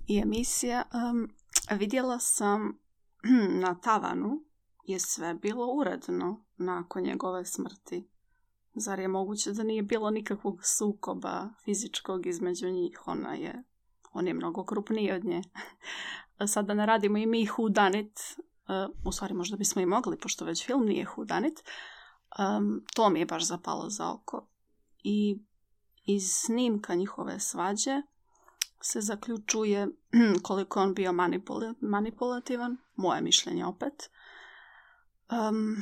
S4: i emisija. Um, vidjela sam na tavanu je sve bilo uredno nakon njegove smrti. Zar je moguće da nije bilo nikakvog sukoba fizičkog između njih? Ona je, on je mnogo krupniji od nje. Sad da ne radimo i mi who done it, uh, u stvari možda bismo i mogli, pošto već film nije who done it, um, to mi je baš zapalo za oko. I iz snimka njihove svađe se zaključuje koliko on bio manipul- manipulativan, moje mišljenje opet, um,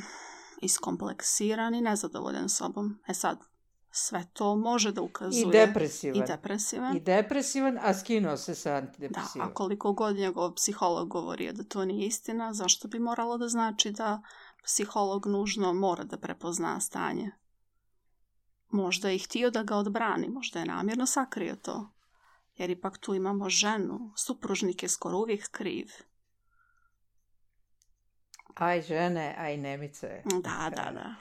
S4: iskompleksiran i nezadovoljan sobom. E sad, sve to može da ukazuje...
S3: I depresivan.
S4: I depresivan.
S3: I depresivan, a skinuo se sa
S4: Da,
S3: antidepresivom.
S4: a koliko god njegov psiholog govorio da to nije istina, zašto bi moralo da znači da psiholog nužno mora da prepozna stanje? Možda je htio da ga odbrani, možda je namjerno sakrio to. Jer ipak tu imamo ženu, supružnik je skoro uvijek kriv.
S3: Aj žene, aj nemice.
S4: Da, da, da.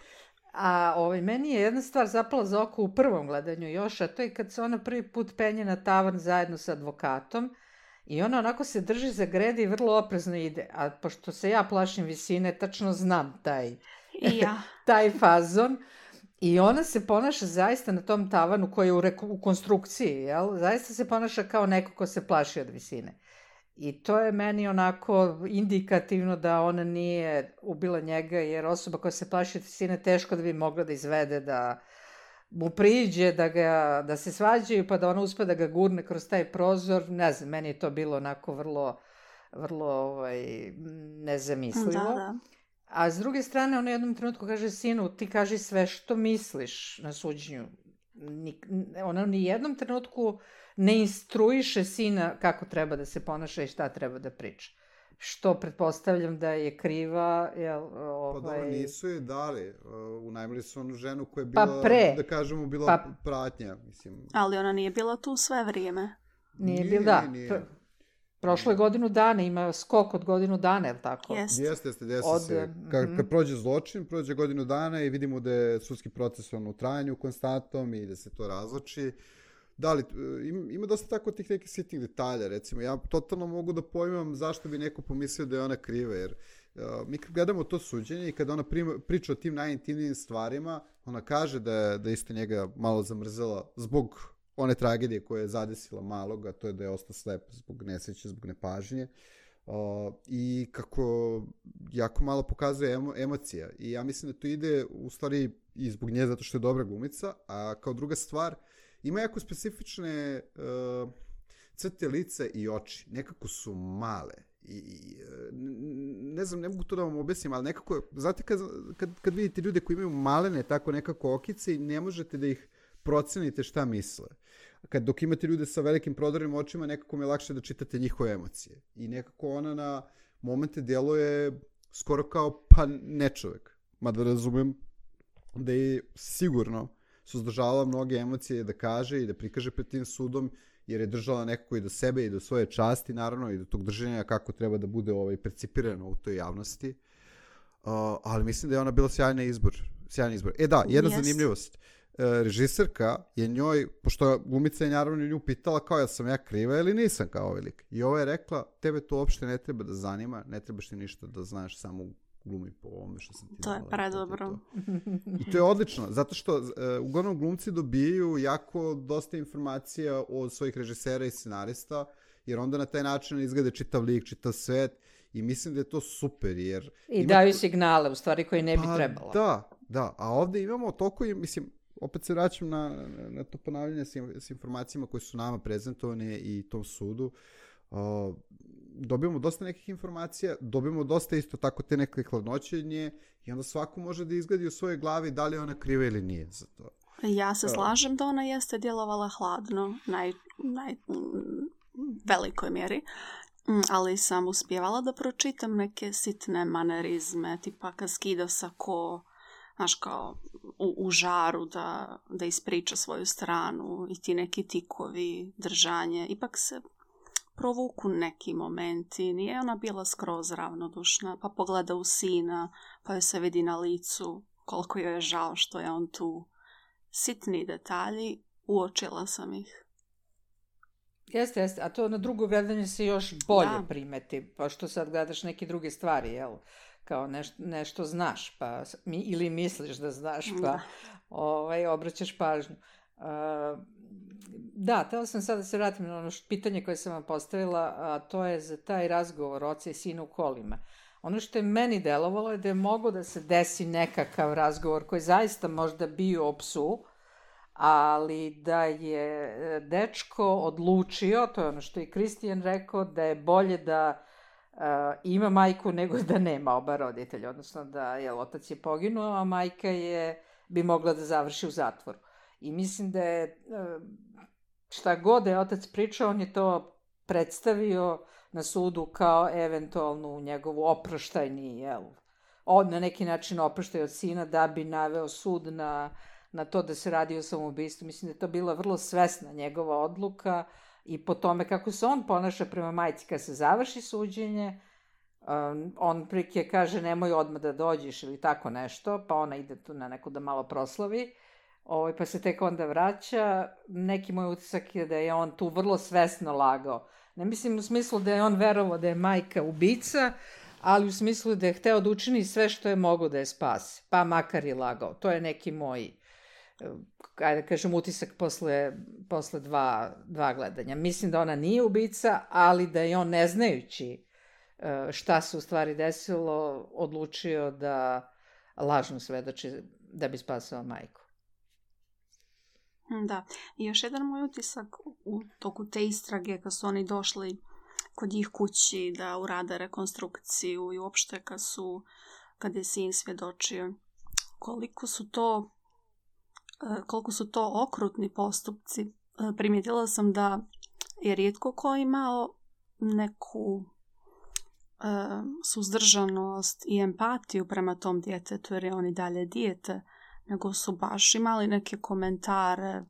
S3: A ovaj, meni je jedna stvar zapala za oko u prvom gledanju još, a to je kad se ona prvi put penje na tavan zajedno sa advokatom i ona onako se drži za grede i vrlo oprezno ide. A pošto se ja plašim visine, tačno znam taj,
S4: I ja.
S3: taj fazon. I ona se ponaša zaista na tom tavanu koji je u, reku, u konstrukciji, jel? Zaista se ponaša kao neko ko se plaši od visine. I to je meni onako indikativno da ona nije ubila njega, jer osoba koja se plaši od visine teško da bi mogla da izvede, da mu priđe, da, ga, da se svađaju, pa da ona uspe da ga gurne kroz taj prozor. Ne znam, meni je to bilo onako vrlo, vrlo ovaj, nezamislivo.
S4: Da, da.
S3: A s druge strane, ona jednom trenutku kaže sinu, ti kaži sve što misliš na suđenju. Ni, ona ni jednom trenutku ne instruiše sina kako treba da se ponaša i šta treba da priča. Što pretpostavljam da je kriva. Jel, ovaj...
S5: Pa dobro, nisu je dali. Unajmili su onu ženu koja je bila,
S3: pa pre.
S5: da kažemo, bila
S3: pa...
S5: pratnja. Mislim.
S4: Ali ona nije bila tu sve vrijeme.
S3: Nije,
S5: nije
S3: bila, da.
S5: Nije, nije.
S3: Prošlo je godinu dana, ima skok od godinu dana, je li tako?
S4: Jeste.
S5: Jeste, jeste, desi
S3: od...
S5: se. Kad, kad prođe zločin, prođe godinu dana i vidimo da je sudski proces on u trajanju konstantnom i da se to razloči. Da li, ima dosta tako tih nekih sitnih detalja, recimo. Ja totalno mogu da pojmam zašto bi neko pomislio da je ona kriva, jer uh, mi kad gledamo to suđenje i kada ona prima, priča o tim najintimnijim stvarima, ona kaže da je, da isto njega malo zamrzela zbog one tragedije koje je zadesila malog, a to je da je ostao slep zbog nesreće, zbog nepažnje. Uh, I kako jako malo pokazuje emo, emocija. I ja mislim da to ide u stvari i zbog nje zato što je dobra glumica, a kao druga stvar, ima jako specifične uh, crte lica i oči. Nekako su male. I, i ne znam, ne mogu to da vam objasnim, ali nekako, znate kad, kad, kad vidite ljude koji imaju malene tako nekako okice i ne možete da ih procenite šta misle. Kad dok imate ljude sa velikim prodornim očima, nekako mi je lakše da čitate njihove emocije. I nekako ona na momente djeluje skoro kao pa ne čovjek. Mada razumem da je sigurno suzdržavala mnoge emocije da kaže i da prikaže pred tim sudom, jer je držala nekako i do sebe i do svoje časti, naravno, i do tog držanja kako treba da bude ovaj, percipirano u toj javnosti. Uh, ali mislim da je ona bila sjajna izbor. Sjajna izbor. E da, jedna yes. zanimljivost. Režiserka je njoj, pošto glumica je naravno nju pitala kao ja sam ja kriva ili nisam kao ovaj lik. I ova je rekla, tebe to uopšte ne treba da zanima, ne trebaš ti ništa da znaš, samo glumi po ovome što sam ti
S4: to
S5: dala.
S4: Je predobro.
S5: To I to je odlično, zato što uh, uglavnom glumci dobijaju jako dosta informacija od svojih režisera i scenarista, jer onda na taj način izgleda čitav lik, čitav svet i mislim da je to super, jer...
S3: I
S5: ima...
S3: daju signale, u stvari, koji ne bi
S5: pa,
S3: trebalo.
S5: Da, da, a ovdje imamo toliko, mislim, opet se vraćam na, na to ponavljanje s, s informacijama koje su nama prezentovane i tom sudu. Uh, dobijemo dosta nekih informacija, dobijemo dosta isto tako te neke hladnoće od nje i onda svako može da izgledi u svojoj glavi da li je ona kriva ili nije za to.
S4: Ja se slažem da ona jeste djelovala hladno, naj, naj velikoj mjeri, ali sam uspjevala da pročitam neke sitne manerizme, tipa kad skida sako, znaš, kao u, u žaru da, da ispriča svoju stranu i ti neki tikovi, držanje. Ipak se provuku neki momenti. Nije ona bila skroz ravnodušna, pa pogleda u sina, pa joj se vidi na licu koliko joj je žao što je on tu. Sitni detalji, uočila sam ih.
S3: Jeste, jeste, a to na drugo gledanje se još bolje
S4: Da.
S3: primeti, pa što sad gledaš neke druge stvari, jel? Kao neš, nešto znaš, pa mi, ili misliš da znaš, pa
S4: Da.
S3: ovaj, obraćaš pažnju. Uh, da, htjela sam sad da se vratim na ono š- pitanje koje sam vam postavila, a to je za taj razgovor oca i sina u kolima. Ono što je meni delovalo je da je moglo da se desi nekakav razgovor koji zaista možda bio o psu, ali da je e, dečko odlučio, to je ono što je Kristijan rekao, da je bolje da e, ima majku nego da nema oba roditelja, odnosno da je otac je poginuo, a majka je bi mogla da završi u zatvoru. I mislim da je e, šta god da je otac pričao, on je to predstavio na sudu kao eventualnu njegovu oproštajni, jel, on na neki način oproštaj od sina da bi naveo sud na na to da se radi o samoubistvu. Mislim da je to bila vrlo svesna njegova odluka i po tome kako se on ponaša prema majci kad se završi suđenje, um, on prike kaže nemoj odmah da dođeš ili tako nešto, pa ona ide tu na neku da malo proslavi, ovaj, pa se tek onda vraća. Neki moj utisak je da je on tu vrlo svesno lagao. Ne mislim u smislu da je on verovao da je majka ubica, ali u smislu da je hteo da učini sve što je mogo da je spase, pa makar i lagao. To je neki moj ajde da kažem, utisak posle, posle dva, dva gledanja. Mislim da ona nije ubica, ali da je on, ne znajući e, šta se u stvari desilo, odlučio da lažno svedoči da bi spasao majku.
S4: Da. I još jedan moj utisak u toku te istrage kad su oni došli kod njih kući da urade rekonstrukciju i uopšte kad su, kad je sin svjedočio, koliko su to koliko su to okrutni postupci. Primijetila sam da je rijetko ko imao neku e, suzdržanost i empatiju prema tom djetetu, jer je on i dalje dijete, nego su baš imali neke komentare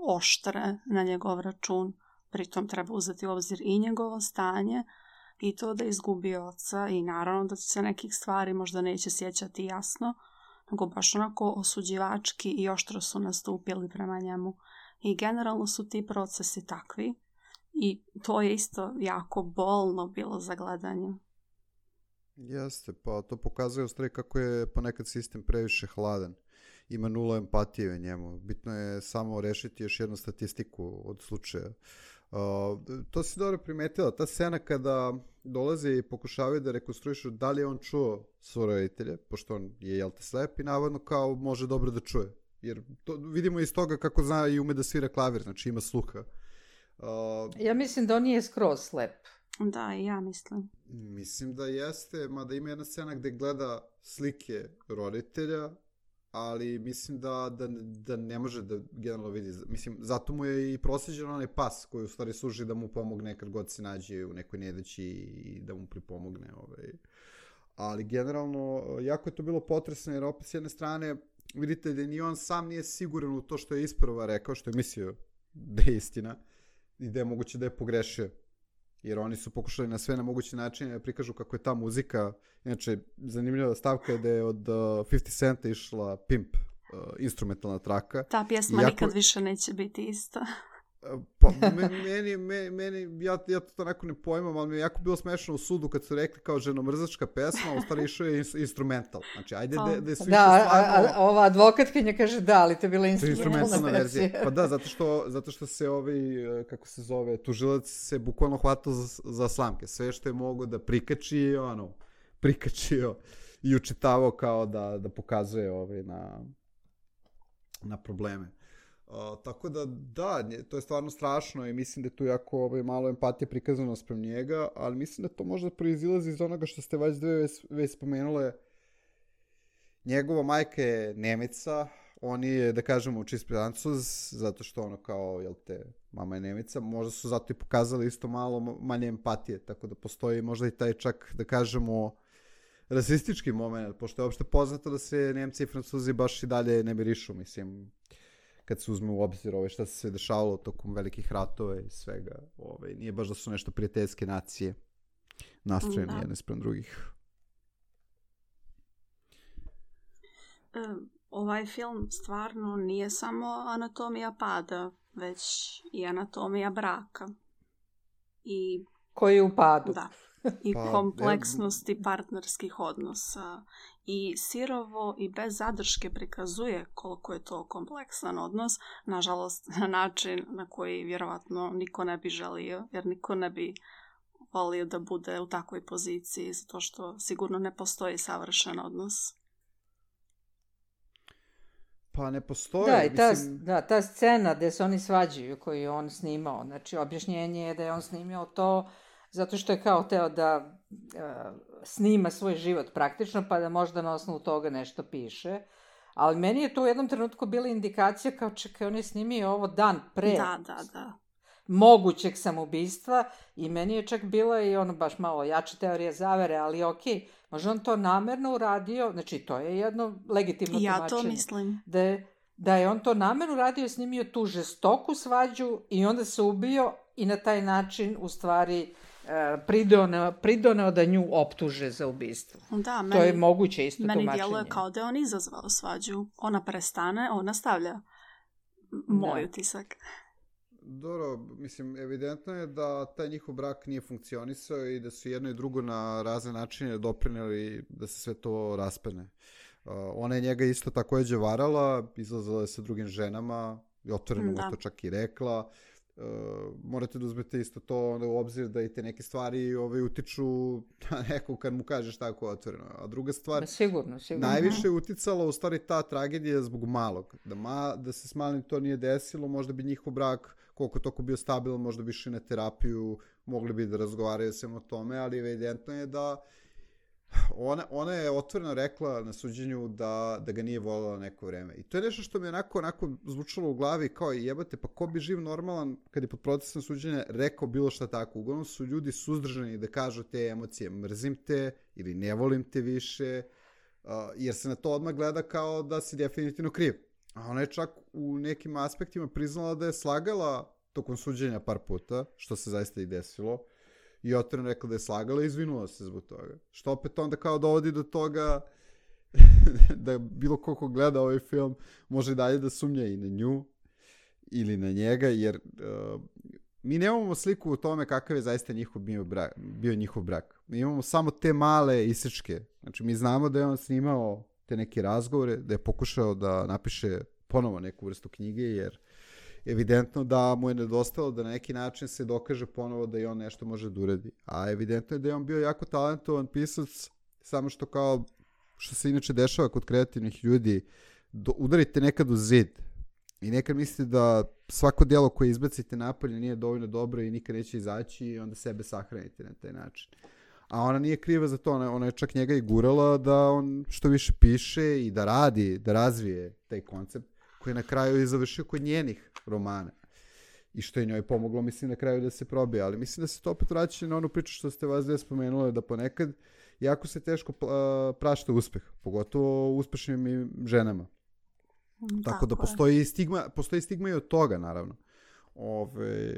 S4: oštre na njegov račun. Pritom treba uzeti u obzir i njegovo stanje i to da je izgubio oca i naravno da se nekih stvari možda neće sjećati jasno, nego baš onako osuđivački i oštro su nastupili prema njemu. I generalno su ti procesi takvi i to je isto jako bolno bilo za gledanje.
S5: Jeste, pa to pokazuje u stvari kako je ponekad sistem previše hladan. Ima nula empatije u njemu. Bitno je samo rešiti još jednu statistiku od slučaja. Uh, to si dobro primetila. Ta scena kada dolaze i pokušavaju da rekonstruišu da li je on čuo svoje roditelje, pošto on je, jel te, slep i navodno kao može dobro da čuje. Jer to vidimo iz toga kako zna i ume da svira klavir, znači ima sluha. Uh,
S3: Ja mislim da on nije skroz slep.
S4: Da, i ja mislim.
S5: Mislim da jeste, mada ima jedna scena gde gleda slike roditelja, ali mislim da, da, da ne može da generalno vidi. Mislim, zato mu je i prosjeđen onaj pas koji u stvari služi da mu pomogne kad god se nađe u nekoj nedaći i da mu pripomogne. Ovaj. Ali generalno, jako je to bilo potresno, jer opet s jedne strane vidite da ni on sam nije siguran u to što je isprva rekao, što je mislio da je istina i da je moguće da je pogrešio. Jer oni su pokušali na sve na moguće načine da prikažu kako je ta muzika, inače zanimljiva stavka je da je od uh, pedeset centa išla Pimp, uh, instrumentalna traka.
S4: Ta pjesma
S5: Iako,
S4: nikad više neće biti ista.
S5: Pa, meni, meni, meni ja, ja to onako ne pojmam, ali mi je jako bilo smešno u sudu kad su rekli kao ženomrzačka pesma, a u stvari išao je instrumental. Znači, ajde da, da je su
S3: Da, a,
S5: stvarno...
S3: a, ova advokatkinja kaže da, ali to je bila
S5: instrumentalna
S3: instrumentalna
S5: verzija.
S3: verzija.
S5: Pa da, zato što, zato što se ovaj, kako se zove, tužilac se bukvalno hvatao za, za slamke. Sve što je mogo da prikači, ono, prikačio i učitavao kao da, da pokazuje ovaj, na, na probleme. Uh, tako da, da, to je stvarno strašno i mislim da je tu jako ovaj, malo empatije prikazano sprem njega, ali mislim da to možda proizilazi iz onoga što ste već dve već, već spomenule. Njegova majka je Nemica, on je, da kažemo, čist Francuz, zato što ono kao, jel te, mama je Nemica, možda su zato i pokazali isto malo manje empatije, tako da postoji možda i taj čak, da kažemo, rasistički moment, pošto je uopšte poznato da se Nemci i Francuzi baš i dalje ne mirišu, mislim. kad se uzme u obzir ovaj, šta se sve dešavalo tokom velikih ratova i svega. Ovaj, nije baš da su nešto prijateljske nacije nastrojene jedne sprem drugih.
S4: Ovaj film stvarno nije samo anatomija pada, već i anatomija braka. I,
S3: koji je u padu.
S4: Da. I pa, kompleksnosti ev... partnerskih odnosa. I sirovo i bez zadrške prikazuje koliko je to kompleksan odnos. Nažalost, na način na koji vjerovatno niko ne bi želio, jer niko ne bi volio da bude u takvoj poziciji, zato što sigurno ne postoji savršen odnos.
S5: Pa ne postoji.
S3: Da, i ta,
S5: mislim...
S3: da, ta scena gde se oni svađaju koju je on snimao, znači objašnjenje je da je on snimao to zato što je kao teo da uh, snima svoj život praktično, pa da možda na osnovu toga nešto piše. Ali meni je to u jednom trenutku bila indikacija kao čekaj, on je snimio ovo dan pre
S4: da, da, da.
S3: mogućeg samoubistva i meni je čak bila i ono baš malo jača teorija zavere, ali okej, okay, možda on to namerno uradio, znači to je jedno legitimno
S4: ja
S3: tumačenje.
S4: Ja to mislim.
S3: Da je, da je on to namerno uradio, snimio tu žestoku svađu i onda se ubio i na taj način u stvari pridoneo, pridoneo da nju optuže za ubistvo.
S4: Da, meni,
S3: to je moguće isto
S4: meni
S3: tumačenje.
S4: Meni djeluje kao da je on izazvao svađu. Ona prestane, on nastavlja. Moj da. utisak.
S5: Dobro, mislim, evidentno je da taj njihov brak nije funkcionisao i da su jedno i drugo na razne načine doprineli da se sve to raspane. Uh, ona je njega isto takođe varala, izlazala je sa drugim ženama i otvoreno mu to čak i rekla. Uh, morate da uzmete isto to onda u obzir da i te neke stvari ovaj, utiču na nekog kad mu kažeš tako otvoreno. A druga stvar,
S3: da, sigurno, sigurno.
S5: najviše je uticala u stvari ta tragedija zbog malog. Da, ma, da se s malim to nije desilo, možda bi njihov brak koliko toko bio stabilan, možda bi išli na terapiju, mogli bi da razgovaraju sem o tome, ali evidentno je da ona, ona je otvoreno rekla na suđenju da, da ga nije voljela neko vreme. I to je nešto što mi je onako, onako zvučalo u glavi kao jebate, pa ko bi živ normalan kad je pod procesom suđenja rekao bilo šta tako. Uglavnom su ljudi suzdržani da kažu te emocije, mrzim te ili ne volim te više, uh, jer se na to odmah gleda kao da si definitivno kriv. A ona je čak u nekim aspektima priznala da je slagala tokom suđenja par puta, što se zaista i desilo. I otvoreno rekla da je slagala i izvinula se zbog toga. Što opet onda kao dovodi do toga da bilo ko ko gleda ovaj film može dalje da sumnja i na nju ili na njega, jer uh, mi nemamo sliku o tome kakav je zaista njihov bio, brak, bio njihov brak. Mi imamo samo te male isečke. Znači mi znamo da je on snimao te neke razgovore, da je pokušao da napiše ponovo neku vrstu knjige, jer evidentno da mu je nedostalo da na neki način se dokaže ponovo da i on nešto može da uradi. A evidentno je da je on bio jako talentovan pisac, samo što kao što se inače dešava kod kreativnih ljudi, do, udarite nekad u zid i nekad mislite da svako djelo koje izbacite napolje nije dovoljno dobro i nikad neće izaći i onda sebe sahranite na taj način. A ona nije kriva za to, ona, ona je čak njega i gurala da on što više piše i da radi, da razvije taj koncept koji je na kraju i završio kod njenih romana. I što je njoj pomoglo, mislim, na kraju da se probije. Ali mislim da se to opet vraća na onu priču što ste vas dve spomenuli, da ponekad jako se teško prašta uspeh, pogotovo uspešnim i ženama. Mm, tako, tako da postoji stigma, postoji stigma i od toga, naravno. Ove,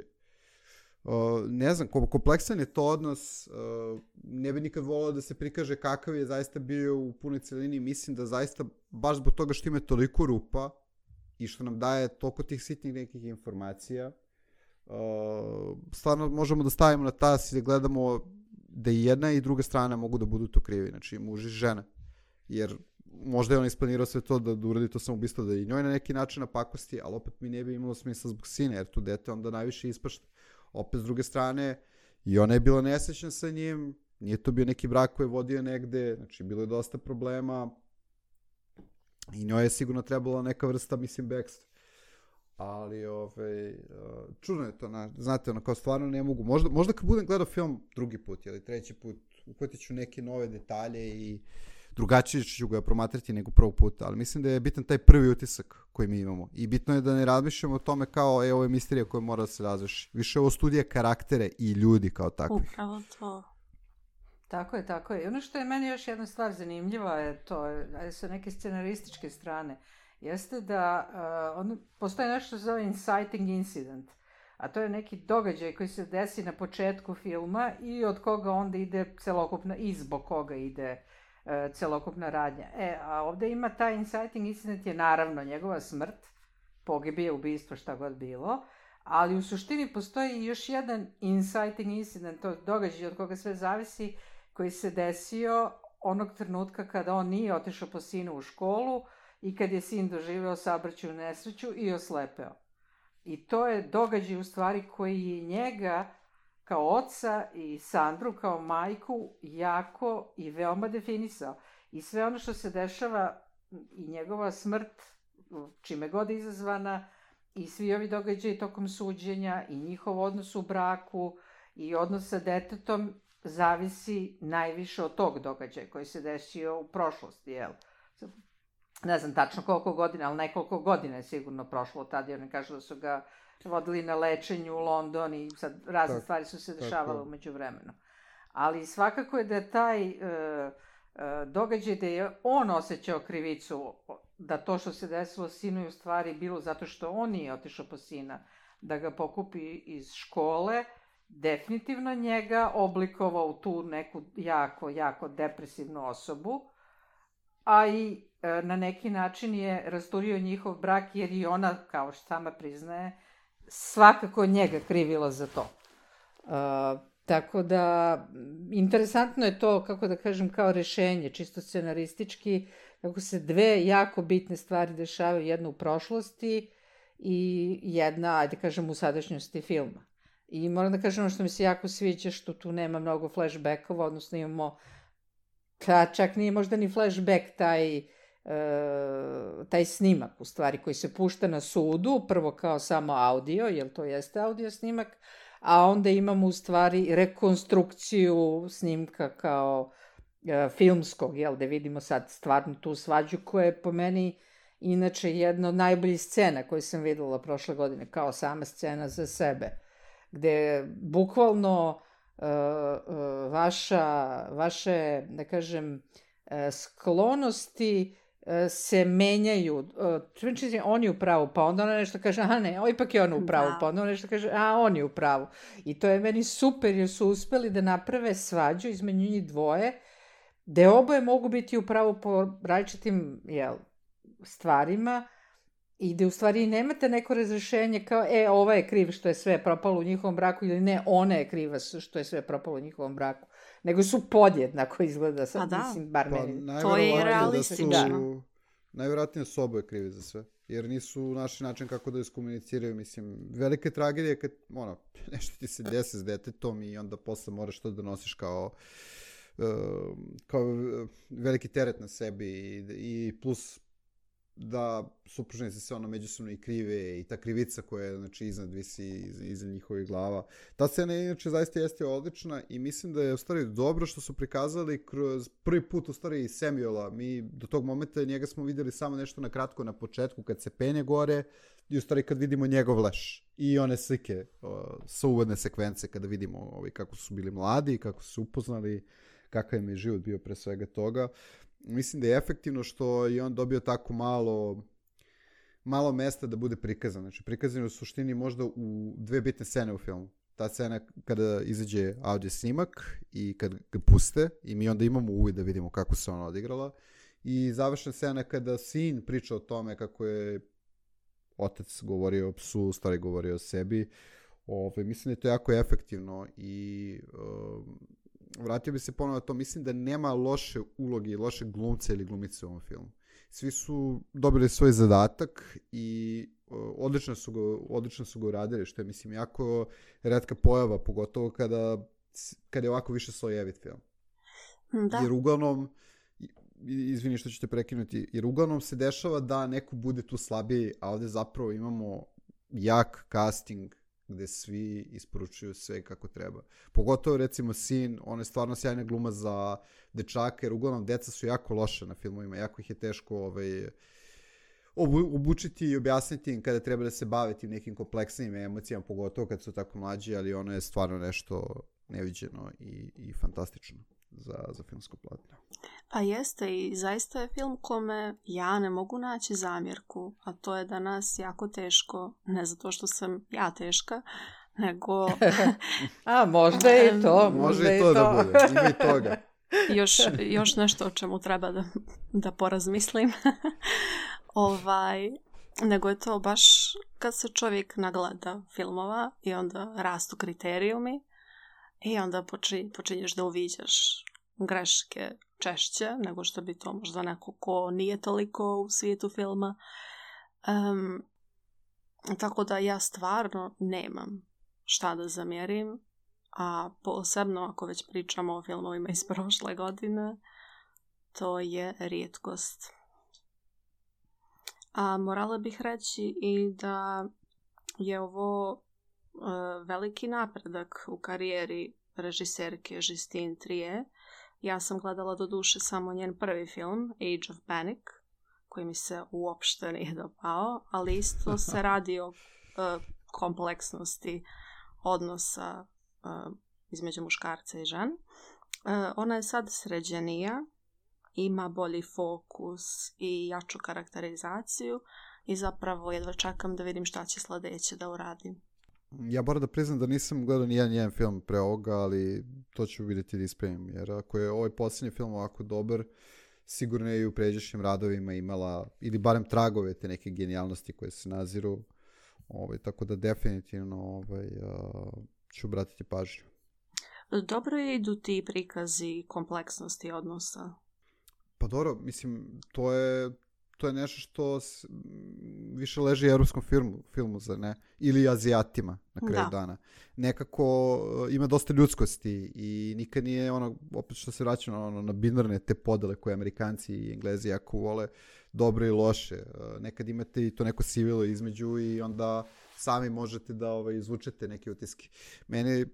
S5: o, ne znam, kompleksan je to odnos, o, ne bi nikad volao da se prikaže kakav je zaista bio u punoj celini. Mislim da zaista, baš zbog toga što ima toliko rupa, i što nam daje toliko tih sitnih nekih informacija, uh, stvarno možemo da stavimo na tas i da gledamo da i jedna i druga strana mogu da budu to krivi, znači muž i žena. Jer možda je on isplanirao sve to da, da uradi to samoubistvo, da i njoj na neki način napakosti, ali opet mi ne bi imalo smisla zbog sina, jer tu dete onda najviše ispašta. Opet s druge strane, i ona je bila nesrećna sa njim, nije to bio neki brak koji je vodio negde, znači bilo je dosta problema, i njoj je sigurno trebala neka vrsta, mislim, bekstva. Ali, ovaj, čudno je to, na, znate, ono, kao stvarno ne mogu. Možda, možda kad budem gledao film drugi put ili treći put, uhvatit ću neke nove detalje i drugačije ću ga promatrati nego prvog puta. Ali mislim da je bitan taj prvi utisak koji mi imamo. I bitno je da ne razmišljamo o tome kao, e, ovo je misterija koja mora da se razvrši. Više ovo studija karaktere i ljudi kao takvih.
S4: Upravo to.
S3: Tako je, tako je. I ono što je meni još jedna stvar zanimljiva je to, sa neke scenarističke strane. jeste da uh, on, postoje nešto što se zove inciting incident, a to je neki događaj koji se desi na početku filma i od koga onda ide celokupna, i zbog koga ide uh, celokupna radnja. E, a ovde ima taj inciting incident je naravno njegova smrt, pogibije, ubistvo, šta god bilo, ali u suštini postoji još jedan inciting incident, to događaj od koga sve zavisi, koji se desio onog trenutka kada on nije otišao po sinu u školu i kad je sin doživeo saobraćajnu nesreću i oslepeo. I to je događaj u stvari koji je njega kao oca i Sandru kao majku jako i veoma definisao. I sve ono što se dešava i njegova smrt, čime god izazvana, i svi ovi događaji tokom suđenja i njihov odnos u braku i odnos sa detetom zavisi najviše od tog događaja koji se desio u prošlosti, jel? Ne znam tačno koliko godina, ali nekoliko godina je sigurno prošlo od tada, jer ne kažu da su ga vodili na lečenju u London i sad razne tak, stvari su se dešavale umeđu vremenu. Ali svakako je da je taj e, e, događaj da je on osjećao krivicu, da to što se desilo sinu je u stvari bilo zato što on nije otišao po sina, da ga pokupi iz škole, definitivno njega oblikovao u tu neku jako, jako depresivnu osobu, a i e, na neki način je rasturio njihov brak, jer i ona, kao što sama priznaje, svakako njega krivila za to. E, tako da, interesantno je to, kako da kažem, kao rešenje, čisto scenaristički, kako se dve jako bitne stvari dešavaju, jedna u prošlosti i jedna, ajde kažem, u sadašnjosti filma. I moram da kažem ono što mi se jako sviđa, što tu nema mnogo flashbackova, odnosno imamo, ka, čak nije možda ni flashback taj, e, taj snimak, u stvari, koji se pušta na sudu, prvo kao samo audio, jer to jeste audio snimak, a onda imamo u stvari rekonstrukciju snimka kao e, filmskog, jel, da vidimo sad stvarno tu svađu koja je po meni inače jedna od najboljih scena koju sam videla prošle godine, kao sama scena za sebe, gde bukvalno uh, uh, vaša, vaše, da kažem, uh, sklonosti uh, se menjaju. Uh, on je u pravu, pa onda ona nešto kaže, aha ne, o, ipak je on u pravu, pa onda ona nešto kaže, a on je u pravu. I to je meni super, jer su uspeli da naprave svađu između njih dvoje, gde oboje mogu biti u pravu po različitim, jel, stvarima, i da u stvari nemate neko razrešenje kao, e, ova je kriv što je sve propalo u njihovom braku, ili ne, ona je kriva što je sve propalo u njihovom braku, nego su podjednako izgleda, sad,
S4: pa da.
S3: Mislim, bar
S5: pa,
S3: meni.
S4: To je realistično.
S5: Da najvjerojatnije su oboje krivi za sve, jer nisu našli način kako da iskomuniciraju, mislim, velike tragedije kad, ono, nešto ti se desi s detetom i onda posle moraš to da nosiš kao, uh, kao veliki teret na sebi i, i plus da supružnici se ono međusobno i krive i ta krivica koja je, znači, iznad visi iza njihovih glava. Ta scena inače zaista jeste odlična i mislim da je u stvari dobro što su prikazali kroz prvi put u stvari Samuela. Mi do tog momenta njega smo videli samo nešto na kratko na početku kad se penje gore i u stvari kad vidimo njegov leš i one slike o, sa uvodne sekvence kada vidimo ovi, kako su bili mladi, kako su se upoznali, kakav im je život bio pre svega toga. Mislim da je efektivno što je on dobio tako malo malo mesta da bude prikazan. Znači, prikazan je u suštini možda u dve bitne scene u filmu. Ta scena kada izađe audio snimak i kad ga puste i mi onda imamo uvid da vidimo kako se ona odigrala. I završna scena kada sin priča o tome kako je otac govorio o psu, u stvari govorio o sebi. Ove, mislim da je to jako efektivno i um, vratio bi se ponovno na to, mislim da nema loše uloge i loše glumce ili glumice u ovom filmu. Svi su dobili svoj zadatak i uh, odlično su ga, odlično su ga uradili, što je, mislim, jako retka pojava, pogotovo kada, kada je ovako više slojevit film.
S4: Da.
S5: Jer uglavnom, izvini što ću te prekinuti, jer uglavnom se dešava da neko bude tu slabiji, a ovde zapravo imamo jak casting gde svi isporučuju sve kako treba. Pogotovo, recimo, sin, on je stvarno sjajna gluma za dečaka, jer uglavnom deca su jako loše na filmovima, jako ih je teško ovaj, obu, obučiti i objasniti im kada treba da se bave tim nekim kompleksnim emocijama, pogotovo kad su tako mlađi, ali ono je stvarno nešto neviđeno i, i fantastično za, za filmsko platno.
S4: Pa jeste i zaista je film kome ja ne mogu naći zamjerku, a to je da nas jako teško, ne zato što sam ja teška, nego...
S3: A, možda i to.
S5: Može
S3: možda
S5: i to da bude, ima i toga.
S4: još, još nešto o čemu treba da, da porazmislim. ovaj, nego je to baš kad se čovjek nagleda filmova i onda rastu kriterijumi i onda počin, počinješ da uviđaš greške češće nego što bi to možda neko ko nije toliko u svijetu filma. Um, tako da ja stvarno nemam šta da zamjerim, a posebno ako već pričamo o filmovima iz prošle godine, to je rijetkost. A morala bih reći i da je ovo uh, veliki napredak u karijeri režiserke Justine Triet. Ja sam gledala do duše samo njen prvi film, Age of Panic, koji mi se uopšte nije dopao, ali isto se radi o uh, kompleksnosti odnosa uh, između muškarca i žen. Uh, ona je sad sređenija, ima bolji fokus i jaču karakterizaciju i zapravo jedva čekam da vidim šta će sljedeće da uradim.
S5: Ja moram da priznam da nisam gledao nijedan njen film pre ovoga, ali to ću vidjeti da ispravim, jer ako je ovaj posljednji film ovako dobar, sigurno je i u pređašnjim radovima imala, ili barem tragove te neke genijalnosti koje se naziru, ovaj, tako da definitivno ovaj, uh, ću obratiti pažnju.
S4: Dobro je idu ti prikazi kompleksnosti odnosa.
S5: Pa dobro, mislim, to je, to je nešto što s, više leži evropskom filmu, filmu, za ne? Ili Azijatima na kraju da. dana. Nekako uh, ima dosta ljudskosti i nikad nije ono, opet što se vraća na, ono, na binarne te podele koje Amerikanci i Englezi jako vole, dobre i loše. Uh, nekad imate i to neko sivilo između i onda sami možete da ovaj, izvučete neke utiske. Meni,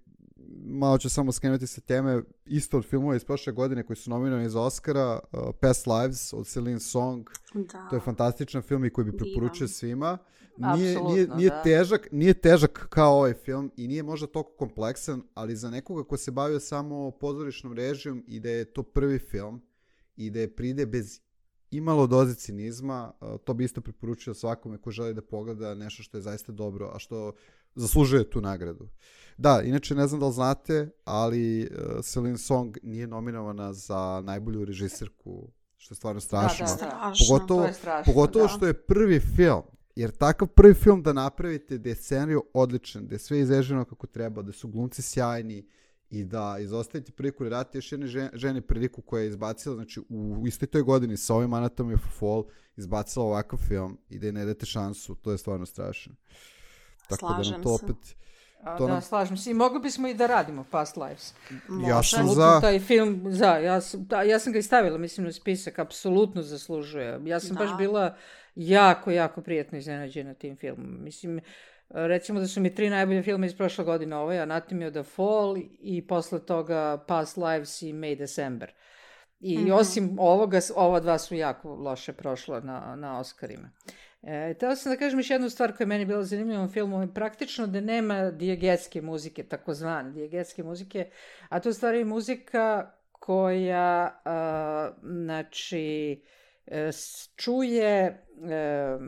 S5: malo ću samo skrenuti sa teme, isto od filmova iz prošle godine koji su nominirani za Oscara, uh, Past Lives od Celine Song. Da. To je fantastičan film i koji bi preporučio svima. Nije, nije, nije, težak, nije težak kao ovaj film i nije možda toliko kompleksan, ali za nekoga ko se bavio samo pozorišnom režijom i da je to prvi film i da je pride bez imalo doze cinizma, to bi isto preporučio svakome ko želi da pogleda nešto što je zaista dobro, a što zaslužuje tu nagradu. Da, inače ne znam da li znate, ali uh, Celine Song nije nominovana za najbolju režiserku, što je stvarno strašno.
S3: Da, da, da.
S5: Pogotovo,
S3: to je strašno,
S5: pogotovo
S3: da.
S5: što je prvi film. Jer takav prvi film da napravite, da je scenarij odličan, da je sve izreženo kako treba, da su glumci sjajni i da izostavite priliku da date još jedne žene priliku koja je izbacila, znači u istoj toj godini sa ovim Anatomy of a Fall izbacila ovakav film i da je ne date šansu, to je stvarno strašno. Tako
S4: Slažem
S5: da nam to opet...
S3: A,
S5: to
S3: da,
S5: nam...
S3: slažem se. I mogli bismo i da radimo Past Lives.
S5: Ja sam
S3: Apsolutno
S5: za...
S3: taj film, za, ja sam, da, ja sam ga i stavila, mislim, na spisak, apsolutno zaslužuje. Ja sam da. baš bila jako, jako prijetno iznenađena tim filmom. Mislim, recimo da su mi tri najbolje filme iz prošle godine, ovaj Anatomy of a Fall i posle toga Past Lives i May December. I mm-hmm. osim ovoga, ova dva su jako loše prošla na, na Oscarima. E, teo sam da kažem još jednu stvar koja je meni bila zanimljiva u filmu, je praktično da nema dijegetske muzike, takozvane dijegetske muzike, a to je stvari muzika koja, a, znači, e, čuje, e,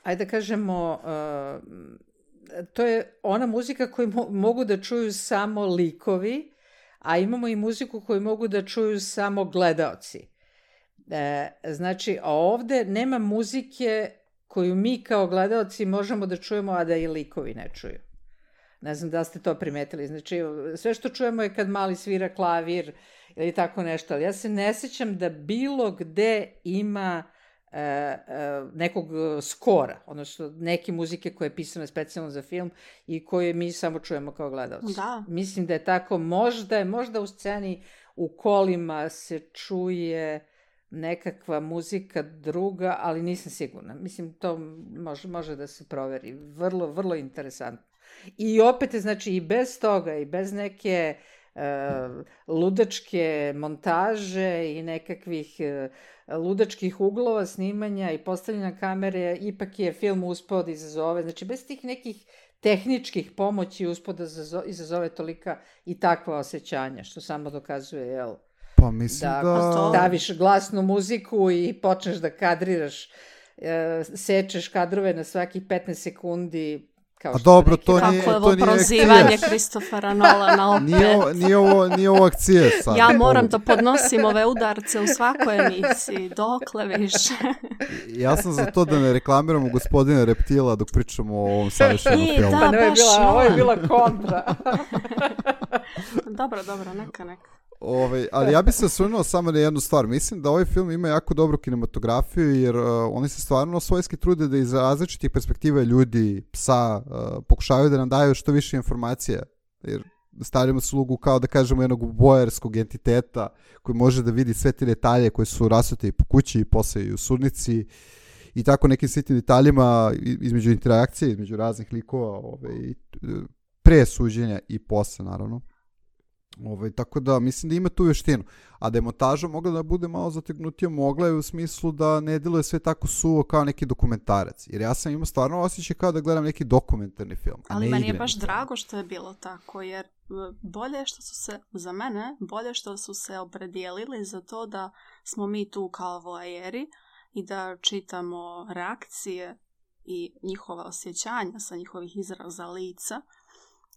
S3: ajde da kažemo, a, to je ona muzika koju mo- mogu da čuju samo likovi, a imamo i muziku koju mogu da čuju samo gledaoci. E, znači, ovde nema muzike koju mi kao gledaoci možemo da čujemo, a da i likovi ne čuju. Ne znam da ste to primetili. Znači, sve što čujemo je kad mali svira klavir ili tako nešto, ali ja se ne sećam da bilo gde ima e, e, nekog skora, odnosno neke muzike koje je pisana specijalno za film i koje mi samo čujemo kao gledaoci.
S4: Da.
S3: Mislim da je tako, možda, možda u sceni u kolima se čuje nekakva muzika druga, ali nisam sigurna. Mislim, to može, može da se proveri. Vrlo, vrlo interesantno. I opet, znači, i bez toga, i bez neke uh, ludačke montaže i nekakvih uh, ludačkih uglova snimanja i postavljanja kamere, ipak je film uspeo da izazove. Znači, bez tih nekih tehničkih pomoći uspeo da izazove tolika i takva osjećanja, što samo dokazuje, jel,
S5: Pa mislim
S3: da,
S5: da...
S3: ako staviš glasnu muziku i počneš da kadriraš, e, sečeš kadrove na svakih petnaest sekundi, kao
S5: A
S3: što
S5: dobro,
S3: neki
S5: to
S3: rad-
S5: nije-
S4: Kako je ovo
S5: nije
S4: prozivanje
S5: akcijaš.
S4: Kristofera Nolana opet.
S5: Nije, ovo- nije, ovo, nije ovo akcije sad.
S4: Ja moram da podnosim ove udarce u svakoj emisiji, dokle više.
S5: Ja sam za to da ne reklamiramo gospodina Reptila dok pričamo o ovom savršenom
S4: I,
S5: filmu.
S4: da.
S3: Pa ne, ovo je
S4: baš
S3: bila, ovo je
S4: Nolan.
S3: bila kontra.
S4: Dobro, dobro, neka, neka.
S5: Ovaj, ali ja bih se osvrnuo samo na jednu stvar. Mislim da ovaj film ima jako dobru kinematografiju jer uh, oni se stvarno svojski trude da iz različitih perspektiva ljudi, psa, uh, pokušavaju da nam daju što više informacija. Jer stavljamo se ulogu kao da kažemo jednog bojarskog entiteta koji može da vidi sve te detalje koji su rasuti po kući i posle i u sudnici i tako nekim sitnim detaljima i- između interakcije, između raznih likova, ovaj, pre suđenja i posle naravno. Ovaj, tako da mislim da ima tu vještinu. A da je montaža mogla da bude malo zategnutija, mogla je u smislu da ne deluje sve tako suvo kao neki dokumentarac. Jer ja sam imao stvarno osjećaj kao da gledam neki dokumentarni film. a
S4: Ali
S5: ne
S4: meni je
S5: igrani
S4: baš
S5: film.
S4: drago što je bilo tako, jer e, bolje što su se, za mene, bolje što su se opredijelili za to da smo mi tu kao voajeri i da čitamo reakcije i njihova osjećanja sa njihovih izraza lica,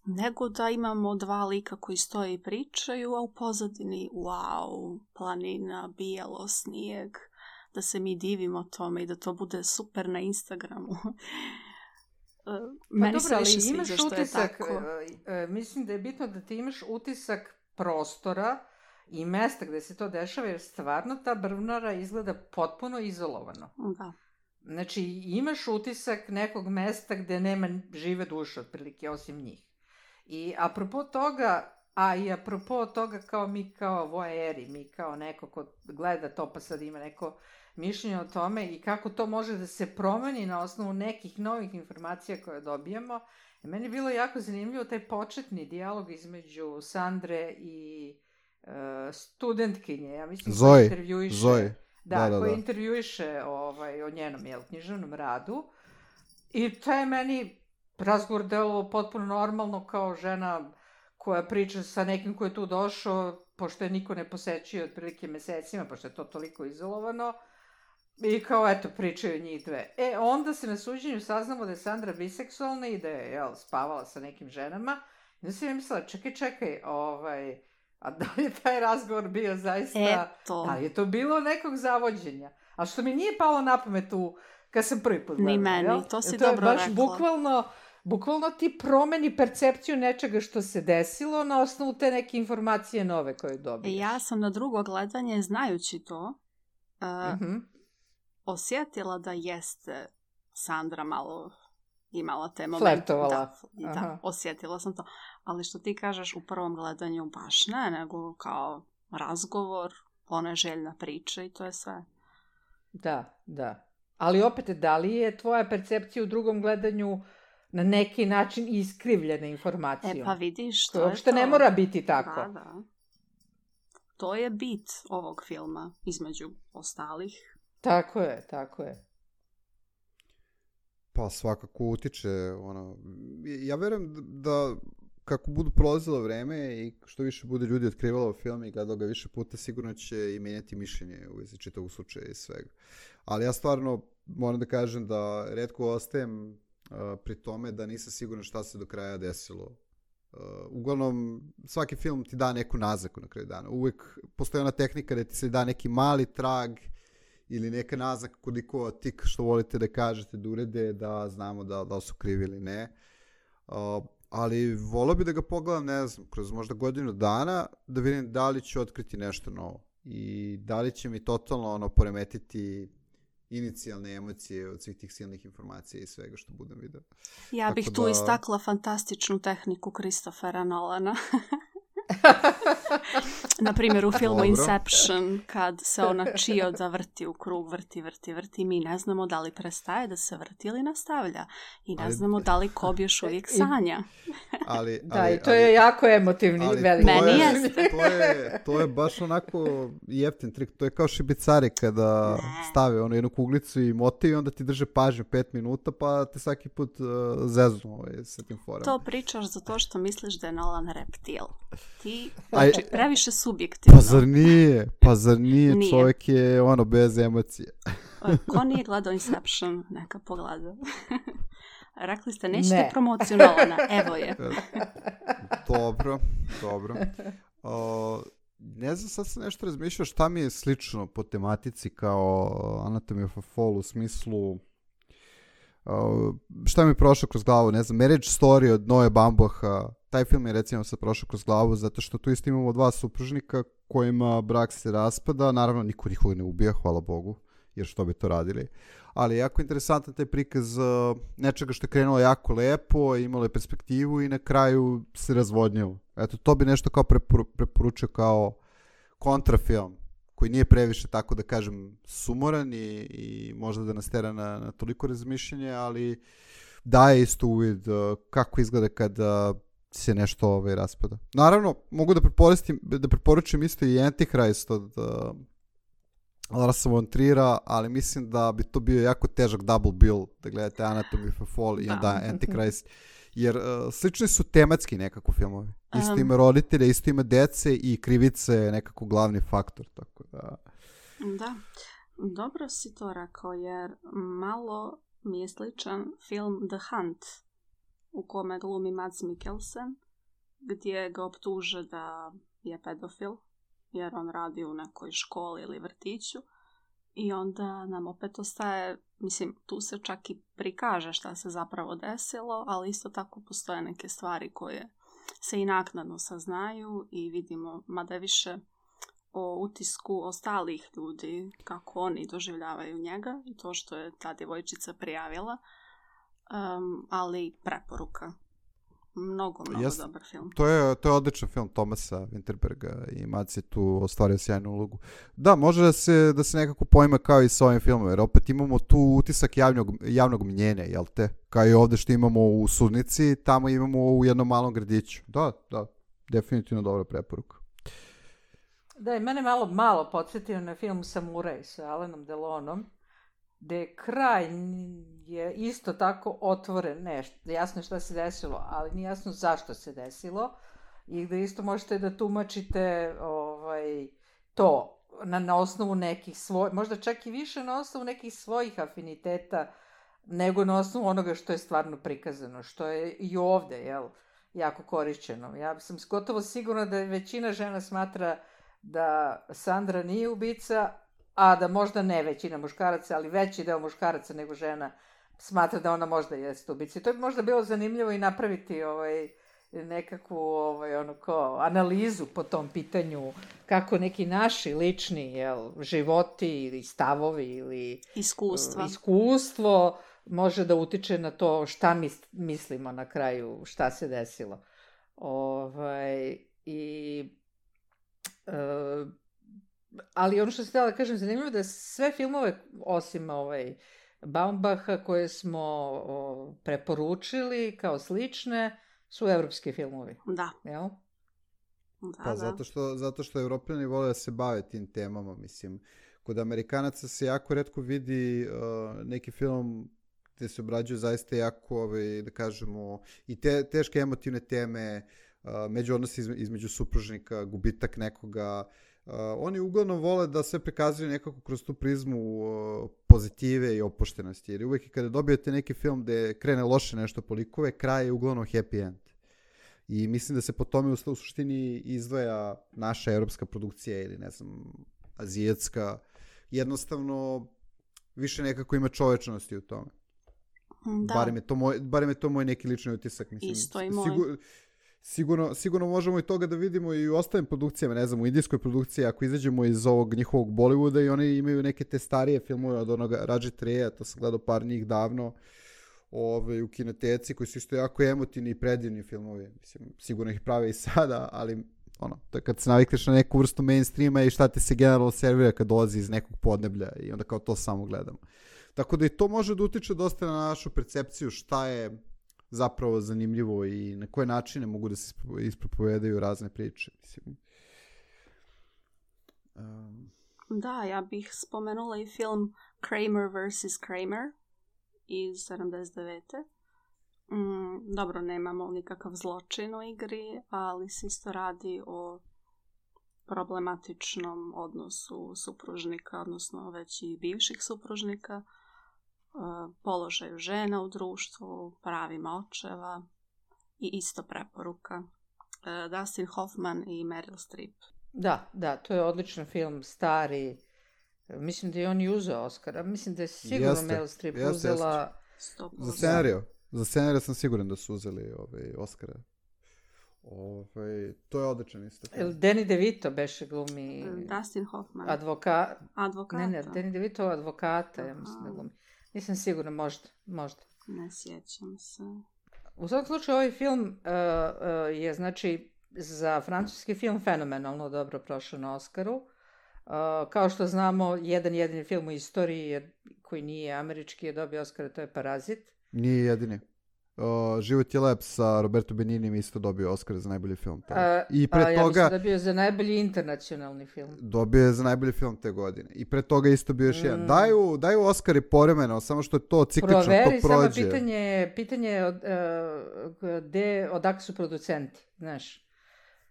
S4: nego da imamo dva lika koji stoje i pričaju, a u pozadini, wow, planina, bijelo, snijeg, da se mi divimo tome i da to bude super na Instagramu. E, Meni
S3: Pa
S4: se
S3: dobro,
S4: više
S3: ali
S4: sviđa
S3: imaš
S4: što je
S3: utisak,
S4: tako.
S3: e, e, mislim da je bitno da ti imaš utisak prostora i mesta gde se to dešava, jer stvarno ta brvnara izgleda potpuno izolovano.
S4: Da.
S3: Znači, imaš utisak nekog mesta gde nema žive duše, otprilike, osim njih. I apropo toga, a i apropo toga kao mi kao voajeri, mi kao neko ko gleda to pa sad ima neko mišljenje o tome i kako to može da se promeni na osnovu nekih novih informacija koje dobijamo. I meni je bilo jako zanimljivo taj početni dijalog između Sandre i uh, studentkinje, ja mislim
S5: Zoe,
S3: koja intervjuiše,
S5: Zoe.
S3: Da,
S5: Da, da,
S3: koja
S5: da.
S3: intervjuiše ovaj, o njenom jel, književnom radu. I to je meni razgovor delovao potpuno normalno kao žena koja priča sa nekim ko je tu došao, pošto je niko ne posećuje otprilike mesecima, pošto je to toliko izolovano. I kao, eto, pričaju njih dve. E, onda se na suđenju saznamo da je Sandra biseksualna i da je, jel, spavala sa nekim ženama. I onda sam ja mislila, čekaj, čekaj, ovaj, a da li je taj razgovor bio zaista...
S4: Eto.
S3: Da li je to bilo nekog zavođenja? A što mi nije palo na pamet u, kad sam prvi put gledala,
S4: Ni meni,
S3: jel?
S4: to si
S3: Jer je
S4: dobro
S3: baš
S4: rekla.
S3: bukvalno, bukvalno ti promeni percepciju nečega što se desilo na osnovu te neke informacije nove koje dobiješ.
S4: Ja sam na drugo gledanje, znajući to, uh,
S3: Mhm.
S4: osjetila da jeste Sandra malo imala te momente.
S3: Flertovala.
S4: Da, da,
S3: Aha.
S4: osjetila sam to. Ali što ti kažeš u prvom gledanju baš ne, nego kao razgovor, ona je željna priča i to je sve.
S3: Da, da. Ali opet, da li je tvoja percepcija u drugom gledanju na neki način iskrivljena informacijom?
S4: E pa vidiš, to
S3: To
S4: je
S3: uopšte
S4: to.
S3: ne mora biti tako.
S4: Da, da. To je bit ovog filma, između ostalih.
S3: Tako je, tako je.
S5: Pa svakako utiče, ono, ja verujem da kako budu prolazilo vreme i što više bude ljudi otkrivalo film i gledalo ga više puta, sigurno će i menjati mišljenje u vezi čitavog slučaja i svega. Ali ja stvarno moram da kažem da retko ostajem uh, pri tome da nisam siguran šta se do kraja desilo. Uh, uglavnom, svaki film ti da neku naznaku na kraju dana. Uvijek postoji ona tehnika da ti se da neki mali trag ili neka naznaka koliko tik što volite da kažete, da urede, da znamo da, da su krivi ili ne. Uh, ali volio bi da ga pogledam, ne znam, kroz možda godinu dana, da vidim da li ću otkriti nešto novo. I da li će mi totalno ono poremetiti inicijalne emocije od svih tih silnih informacija i svega što budem vidio.
S4: Ja
S5: Tako
S4: bih tu
S5: da-
S4: istakla fantastičnu tehniku Christophera Nolana. Na primjer u filmu
S5: Dobro.
S4: Inception, kad se ona čioda vrti u krug, vrti, vrti, vrti, mi ne znamo da li prestaje da se vrti ili nastavlja. I ne
S5: Ali-
S4: znamo da li Cobb još uvijek sanja.
S5: ali,
S3: Da,
S5: ali,
S3: i to je
S5: ali,
S3: jako emotivni,
S5: ali
S3: veliki.
S5: to
S4: Meni
S5: je,
S4: jeste.
S5: to je, to je baš onako jeftin trik. To je kao šibicari kada
S4: Ne.
S5: stave onu jednu kuglicu i motiv i onda ti drže pažnju pet minuta pa te svaki put uh, zeznu ovaj, sa tim forama.
S4: To pričaš zato što misliš da je Nolan reptil. Ti,
S5: Aj-
S4: znači, previše subjektivno.
S5: Pa zar nije? Pa zar nije?
S4: Nije.
S5: Čovjek je ono bez emocije.
S4: Ko nije gledao Inception, neka pogleda. Rekli ste, nećete
S3: Ne.
S4: promociju Nolana, evo je.
S5: Dobro, dobro. O, ne znam, sad sam nešto razmišljao šta mi je slično po tematici kao Anatomy of a Fall u smislu o, šta mi je prošlo kroz glavu, ne znam, Marriage Story od Noe Baumbach-a, taj film je recimo sad prošao kroz glavu zato što tu isto imamo dva supružnika kojima brak se raspada, naravno niko nikoga ne ubija, hvala Bogu, jer što bi to radili. Ali je jako interesantan taj prikaz uh, nečega što je krenulo jako lepo, imalo je perspektivu i na kraju se razvodnjilo. Eto, to bi nešto kao preporu, preporučio kao kontrafilm, koji nije previše, tako da kažem, sumoran i, i možda da nas tera na, na toliko razmišljanje, ali daje isto uvid uh, kako izgleda kada se nešto ovaj, raspada. Naravno, mogu da, da preporučim isto i Antichrist od uh, Larsa von Trier'a, ali mislim da bi to bio jako težak double bill da gledate Anatomy of a Fall i
S4: Da.
S5: onda Antichrist, jer uh, slični su tematski nekako filmovi. Isto
S4: Um.
S5: ima roditelja, isto ima dece i krivice je nekako glavni faktor, tako da...
S4: Da, dobro si to rekao, jer malo mi je sličan film The Hunt, u kome glumi Mads Mikkelsen, gdje ga optuže da je pedofil, jer on radi u nekoj školi ili vrtiću. I onda nam opet ostaje, mislim, tu se čak i prikaže šta se zapravo desilo, ali isto tako postoje neke stvari koje se i naknadno saznaju i vidimo, mada je više o utisku ostalih ljudi, kako oni doživljavaju njega i to što je ta djevojčica prijavila, um, ali preporuka. Mnogo, mnogo
S5: Jest.
S4: dobar film.
S5: To je, to je odličan film Thomasa Winterberga i Mads je tu ostvario sjajnu ulogu. Da, može da se, da se nekako pojma kao i sa ovim filmom, jer opet imamo tu utisak javnog, javnog mnjenja, jel te? Kao i ovdje što imamo u Sudnici, tamo imamo u jednom malom gradiću. Da, da, definitivno dobra preporuka.
S3: Da, i mene malo, malo podsjetio na film Samuraj sa Alanom Delonom, gdje je kraj je isto tako otvoren, ne, jasno je šta se desilo, ali nije jasno zašto se desilo i gdje isto možete da tumačite ovaj, to na, na osnovu nekih svojih, možda čak i više na osnovu nekih svojih afiniteta nego na osnovu onoga što je stvarno prikazano, što je i ovdje, jel, jako korišćeno. Ja sam gotovo sigurna da većina žena smatra da Sandra nije ubica, a da možda ne većina muškaraca, ali veći deo muškaraca nego žena smatra da ona možda jeste ubica. I to bi možda bilo zanimljivo i napraviti ovaj, nekakvu ovaj, ono, ko, analizu po tom pitanju, kako neki naši lični jel, životi ili stavovi ili
S4: Iskustva.
S3: uh, iskustvo može da utiče na to šta mi mislimo na kraju, šta se desilo. Ovaj, i uh, ali ono što sam htjela da kažem, zanimljivo da sve filmove, osim ovaj, Baumbacha, koje smo o, preporučili kao slične, su evropski filmovi.
S4: Da.
S3: Jel?
S4: Da,
S5: Pa
S4: da.
S5: zato što, zato što Evropljani vole da se bave tim temama, mislim. Kod Amerikanaca se jako retko vidi uh, neki film gdje se obrađuju zaista jako, ovaj, da kažemo, i te, teške emotivne teme, uh, međuodnosi izme, između supružnika, gubitak nekoga. Uh, oni uglavnom vole da sve prikazuju nekako kroz tu prizmu uh, pozitive i opuštenosti. Jer uvijek kada dobijete neki film gdje krene loše nešto po likove, kraj je uglavnom happy end. I mislim da se po tome u suštini izdvaja naša europska produkcija ili ne znam, azijatska. Jednostavno više nekako ima čovečnosti u tome.
S4: Da.
S5: Barem je to moj, barem je to moj neki lični utisak. Mislim,
S4: Isto i moj.
S5: Sigur, sigurno, sigurno možemo i toga da vidimo i u ostalim produkcijama, ne znam, u indijskoj produkciji, ako izađemo iz ovog njihovog Bollywooda i oni imaju neke te starije filmove od onoga Raji Treya, to sam gledao par njih davno, Ove, u kinoteci, koji su isto jako emotivni i predivni filmovi. Mislim, sigurno ih prave i sada, ali ono, to je kad se navikneš na neku vrstu mainstreama i šta ti se generalno servira kad dolazi iz nekog podneblja i onda kao to samo gledamo. Tako da i to može da utiče dosta na našu percepciju šta je zapravo zanimljivo i na koje načine mogu da se ispropovedaju razne priče. Mislim. Um.
S4: Da, ja bih spomenula i film Kramer versus. Kramer iz sedamdeset devete. Mm, dobro, nemamo nikakav zločin u igri, ali se isto radi o problematičnom odnosu supružnika, odnosno već i bivših supružnika, položaju žena u društvu, pravima očeva i isto preporuka. Dustin Hoffman i Meryl Streep.
S3: Da, da, to je odličan film, stari. Mislim da je on i uzeo Oscara. Mislim da je sigurno
S5: jeste,
S3: Meryl Streep
S5: jeste,
S3: uzela...
S5: Jeste. Za scenariju. Za scenariju sam siguran da su uzeli ovaj, Oscara. Ovaj, to je odličan isto.
S3: Danny DeVito beše glumi...
S4: Dustin Hoffman.
S3: Advoka...
S4: Advokata.
S3: Ne, ne, Danny DeVito advokata, ja mislim da glumi. Nisam sigurna, možda, možda.
S4: Ne sjećam se.
S3: U svakom slučaju, ovaj film uh, uh, je, znači, za francuski film fenomenalno dobro prošao na Oscaru. Uh, kao što znamo, jedan jedini film u istoriji je, koji nije američki je dobio Oscara, to je Parazit.
S5: Nije jedini. Uh, Život je lep sa Roberto Beninim isto dobio Oscar za najbolji film.
S3: Uh,
S5: I pre
S3: a,
S5: toga...
S3: Ja mislim da bio za najbolji internacionalni film.
S5: Dobio je za najbolji film te godine. I pre toga isto bio još mm. jedan. Daju, daju Oscari povremeno, samo što je to ciklično,
S3: Proveri,
S5: to prođe.
S3: samo pitanje, pitanje od, uh, gde, odakle su producenti, znaš.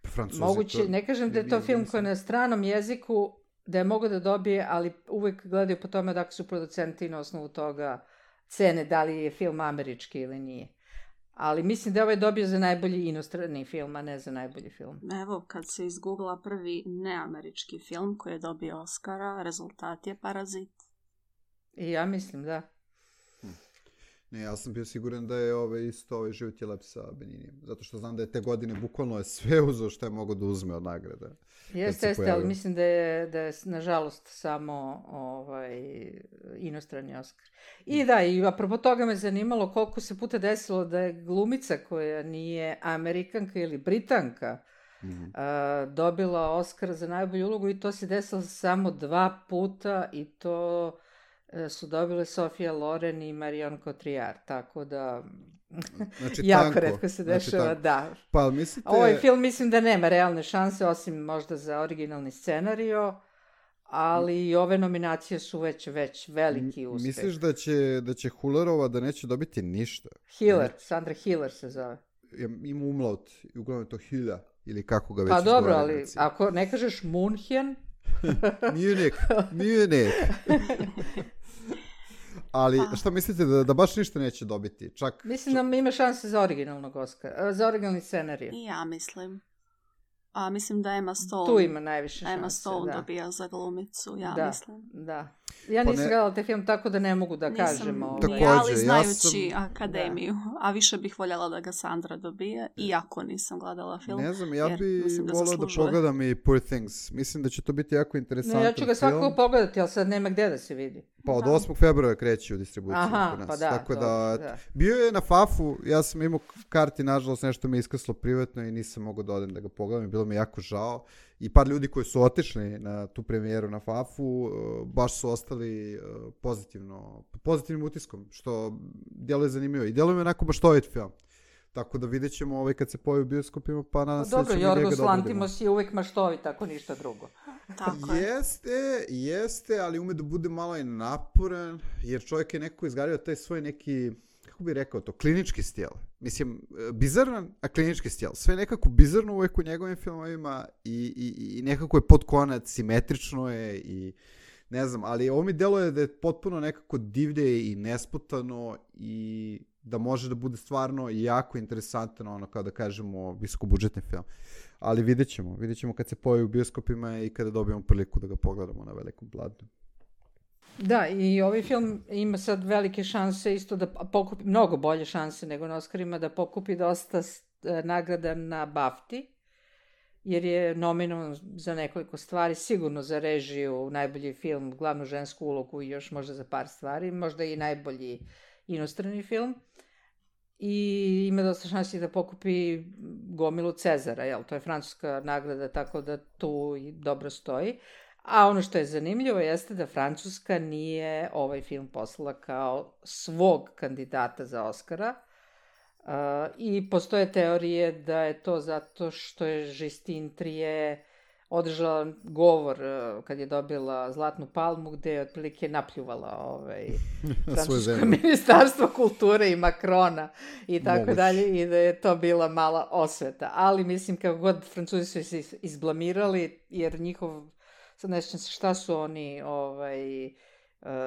S5: Francuzi,
S3: Moguće,
S5: to,
S3: ne kažem da je to film koji je na stranom jeziku, da je mogo da dobije, ali uvek gledaju po tome odakle su producenti na osnovu toga cene, da li je film američki ili nije. Ali mislim da je ovaj dobio za najbolji inostrani film, a ne za najbolji film.
S4: Evo, kad se izgoogla prvi neamerički film koji je dobio Oscara, rezultat je Parazit.
S3: I ja mislim, da.
S5: Hm. Ne, ja sam bio siguran da je ovaj, isto ovaj Život je lep sa Beninijem. Zato što znam da je te godine bukvalno je sve uzeo što je mogo da uzme od nagrada.
S3: Jeste, jeste, ali mislim da je, da je nažalost samo ovaj, inostrani Oskar. I da, i apropo toga me zanimalo koliko se puta desilo da je glumica koja nije Amerikanka ili Britanka mm-hmm. a, dobila Oskar za najbolju ulogu i to se desilo samo dva puta i to su dobile Sofia Loren i Marion Cotillard, tako da
S5: znači,
S3: jako
S5: tanko.
S3: retko se dešava, znači, da.
S5: Pa, mislite...
S3: Ovaj film mislim da nema realne šanse, osim možda za originalni scenario, ali i ove nominacije su već, već veliki uspeh.
S5: Misliš da će, da će Hullerova da neće dobiti ništa?
S3: Hiller, Sandra Hiller se zove.
S5: Ja, ima umlaut, uglavnom je to Hilla, ili kako ga već
S3: pa dobro, ali
S5: znači.
S3: ako ne kažeš Munchen...
S5: Munich, Munich. Ali šta mislite da, da baš ništa neće dobiti? Čak,
S3: mislim da ima šanse za originalnog Oscara, za originalni scenarij.
S4: I ja mislim. A mislim da Emma Stone.
S3: Tu ima najviše šanse.
S4: Emma Stone
S3: da.
S4: dobija za glumicu, ja
S3: da,
S4: mislim.
S3: Da. Ja nisam ne... gledala te film, tako da ne mogu da
S4: nisam,
S3: kažem. Ovaj.
S4: Također, ali znajući ja sam... akademiju. Da. A više bih voljela da ga Sandra dobije, iako nisam gledala film.
S5: Ne znam, ja bih volila da pogledam i Poor Things. Mislim da će to biti jako interesantan film.
S3: Ne, ja ću ga svakako pogledati, ali sad nema gde da se vidi.
S5: Pa od osmog februara kreće u distribuciju.
S3: Aha, pa da.
S5: Tako
S3: to,
S5: da,
S3: da.
S5: Bio je na Fafu, ja sam imao karti, nažalost nešto mi je iskrslo privatno i nisam mogao da odem da ga pogledam i bilo mi jako žao. I par ljudi koji su otišli na tu premijeru na Fafu, baš su ostali pozitivno, pozitivnim utiskom, što djeluje zanimljivo. I djeluje mi onako maštovit film. Tako da vidjet ćemo ovaj kad se pojavi u bioskopima, pa nadam se da ćemo njega dobro.
S3: Dobro, Jorgos Lantimos je uvek maštovit, ako ništa drugo.
S4: Tako je.
S5: Jeste, jeste, ali ume da bude malo i naporan, jer čovjek je nekako izgradio taj svoj neki, kako bih rekao to, klinički stil. Mislim, bizaran, a klinički stil. Sve nekako bizarno uvek u njegovim filmovima i, i, i nekako je pod konac, simetrično je i ne znam, ali ovo mi deluje da je potpuno nekako divlje i nesputano i da može da bude stvarno jako interesantan, ono kao da kažemo visokobudžetni film. Ali vidjet ćemo, vidjet ćemo kad se pojavi u bioskopima i kada dobijemo priliku da ga pogledamo na velikom planu.
S3: Da, i ovaj film ima sad velike šanse isto da pokupi, mnogo bolje šanse nego na Oscarima, da pokupi dosta nagrada na BAFTI, jer je nominovan za nekoliko stvari, sigurno za režiju, najbolji film, glavnu žensku ulogu i još možda za par stvari, možda i najbolji inostrani film. I ima dosta šansi da pokupi gomilu Cezara, jel? To je francuska nagrada, tako da tu dobro stoji. A ono što je zanimljivo jeste da Francuska nije ovaj film poslala kao svog kandidata za Oscara, Uh, I postoje teorije da je to zato što je Justine Triet održala govor uh, kad je dobila Zlatnu palmu, gde je otprilike napljuvala ovaj, francusko ministarstvo kulture i Makrona i tako Moguć. dalje, i da je to bila mala osveta. Ali mislim, kako god Francuzi su se izblamirali, jer njihov, sad ne sjećam se šta su oni ovaj, uh,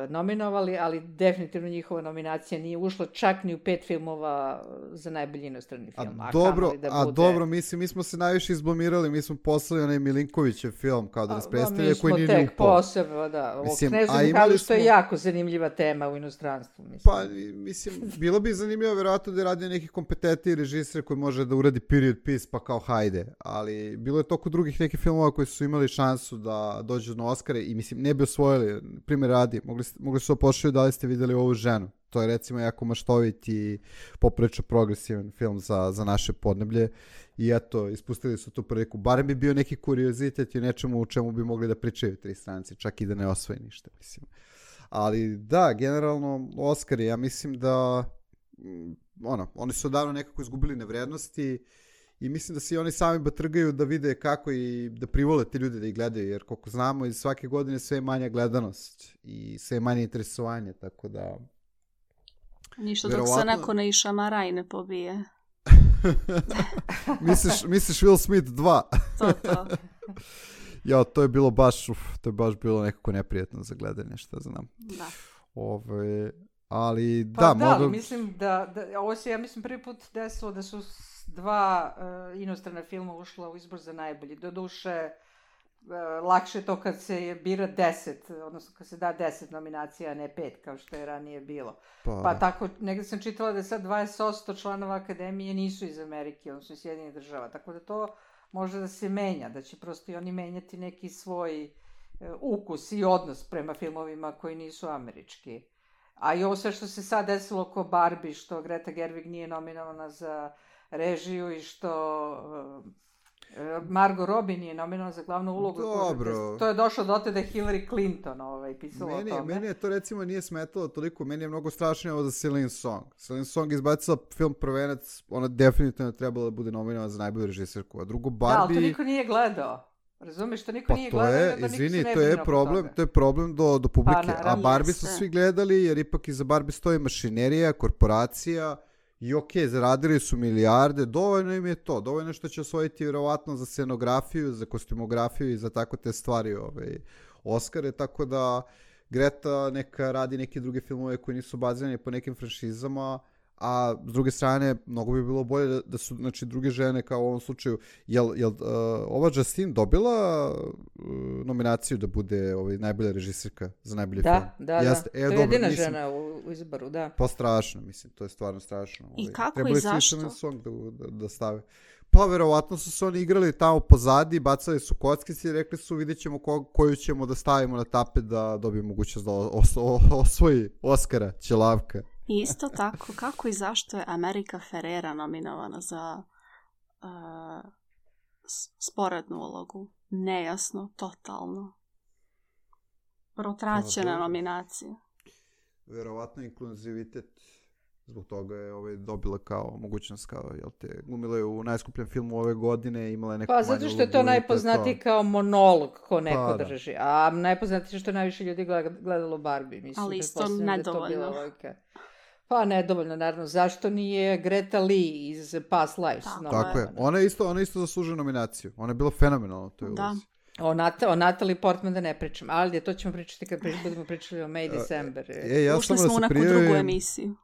S3: nominovali, ali definitivno njihova nominacija nije ušla čak ni u pet filmova za najbolji inostrani film.
S5: A, a dobro, da a bude... dobro, mislim, mi smo se najviše izblamirali, mi smo poslali onaj Milinkovićev film, kao da nas predstavlja, koji nije ni upao.
S3: Mi smo tek posebno, da. O Knezu Mihajlu, što je jako zanimljiva tema u inostranstvu. Mislim.
S5: Pa, mislim, bilo bi zanimljivo vjerojatno da je radio neki kompetentni režisir koji može da uradi period piece, pa kao hajde. Ali bilo je toliko drugih nekih filmova koji su imali šansu da dođu na Oscare i mislim, ne bi osvojili, primjer radi. Mogli, mogli su opošlju da li ste vidjeli ovu ženu. To je recimo jako maštovit i poprilično progresivan film za, za naše podneblje. I eto, ispustili su tu priliku. Barem bi bio neki kuriozitet i nečemu u čemu bi mogli da pričaju tri stranci, čak i da ne osvoji ništa, mislim. Ali da, generalno, Oscari, ja mislim da ono, oni su odavno nekako izgubili na vrednosti i mislim da se i oni sami batrgaju da vide kako i da privole te ljude da ih gledaju, jer koliko znamo iz svake godine sve je manja gledanost i sve je manje interesovanje, tako da...
S4: Ništa verovatno... dok se neko ne išamara i ne pobije.
S5: misliš, misliš Will Smith dva?
S4: to, to.
S5: Ja, to je bilo baš, uf, to je baš bilo nekako neprijatno za gledanje, šta znam.
S4: Da.
S5: Ove, ali
S3: pa
S5: da,
S3: da,
S5: mogu...
S3: ali mislim da, da, ovo se, ja mislim, prvi put desilo da su dva uh, inostrana filma ušla u izbor za najbolji. Doduše, uh, lakše to kad se bira deset, odnosno kad se da deset nominacija, a ne pet, kao što je ranije bilo. Pa, pa tako, negdje sam čitala da je sad dvadeset posto članova akademije nisu iz Amerike, odnosno iz Sjedinjenih država, tako da to može da se menja, da će prosto i oni menjati neki svoj uh, ukus i odnos prema filmovima koji nisu američki. A i ovo sve što se sad desilo oko Barbie, što Greta Gerwig nije nominovana za režiju i što uh, Margot Robbie nije nominovana za glavnu ulogu.
S5: Dobro.
S3: To je došlo do te da je Hillary Clinton ovaj, pisala
S5: meni,
S3: o tome.
S5: Meni je to recimo nije smetalo toliko, meni je mnogo strašnije ovo za Celine Song. Celine Song izbacila film Prvenac, ona definitivno trebala da bude nominovana za najbolju režisirku. A drugo Barbie...
S3: Da, ali to niko nije gledao. Razumiješ, to niko
S5: pa
S3: nije
S5: to
S3: gledao.
S5: Je, izvini, to je problem, to je problem do, do publike. Pa, naravno, a Barbie su svi gledali, jer ipak iza Barbie stoji mašinerija, korporacija i ok, zaradili su milijarde, dovoljno im je to, dovoljno što će osvojiti vjerovatno za scenografiju, za kostumografiju i za tako te stvari ovaj, Oscare, tako da Greta neka radi neke druge filmove koji nisu bazirani po nekim franšizama, a s druge strane, mnogo bi bilo bolje da, da su znači, druge žene, kao u ovom slučaju, jel, jel uh, ova Justine dobila uh, nominaciju da bude ovaj, najbolja režisirka za najbolji
S3: da,
S5: film?
S3: Da, Jeste. da, e, to je jedina mislim, žena u, u izboru, da.
S5: Pa strašno, mislim, to je stvarno strašno.
S4: I
S5: ovaj.
S4: kako
S5: Trebali
S4: i zašto?
S5: Song da, da, da stave. Pa verovatno su se oni igrali tamo pozadi, bacali su kockice i rekli su vidjet ćemo ko, koju ćemo da stavimo na tapet da dobije mogućnost da os, os, osvoji Oscara, Ćelavka.
S4: Isto tako, kako i zašto je America Ferrera nominovana za uh, sporednu ulogu? Nejasno, totalno. Protraćena nominacija.
S5: Verovatno inkluzivitet, zbog toga je ovaj dobila kao mogućnost, kao, jel te, glumila je u najskupljem filmu ove godine, imala je neku
S3: pa zato što je to najpoznatiji kao monolog ko neko pa, drži, a najpoznatiji što je najviše ljudi gledalo Barbie. Mislim,
S4: ali isto nedovoljno.
S3: Pa nedovoljno, naravno. Zašto nije Greta Lee iz Past Lives?
S4: Tako,
S3: no,
S5: tako je. Ona je isto, ona isto zaslužuje nominaciju. Ona je bila fenomenalna. To je
S4: da.
S3: O, Nat- o Natalie Portman da ne pričam. Ali to ćemo pričati kad prič- budemo pričali o May December.
S5: E, ja
S4: Ušli smo u neku
S5: prijavim,
S4: drugu emisiju.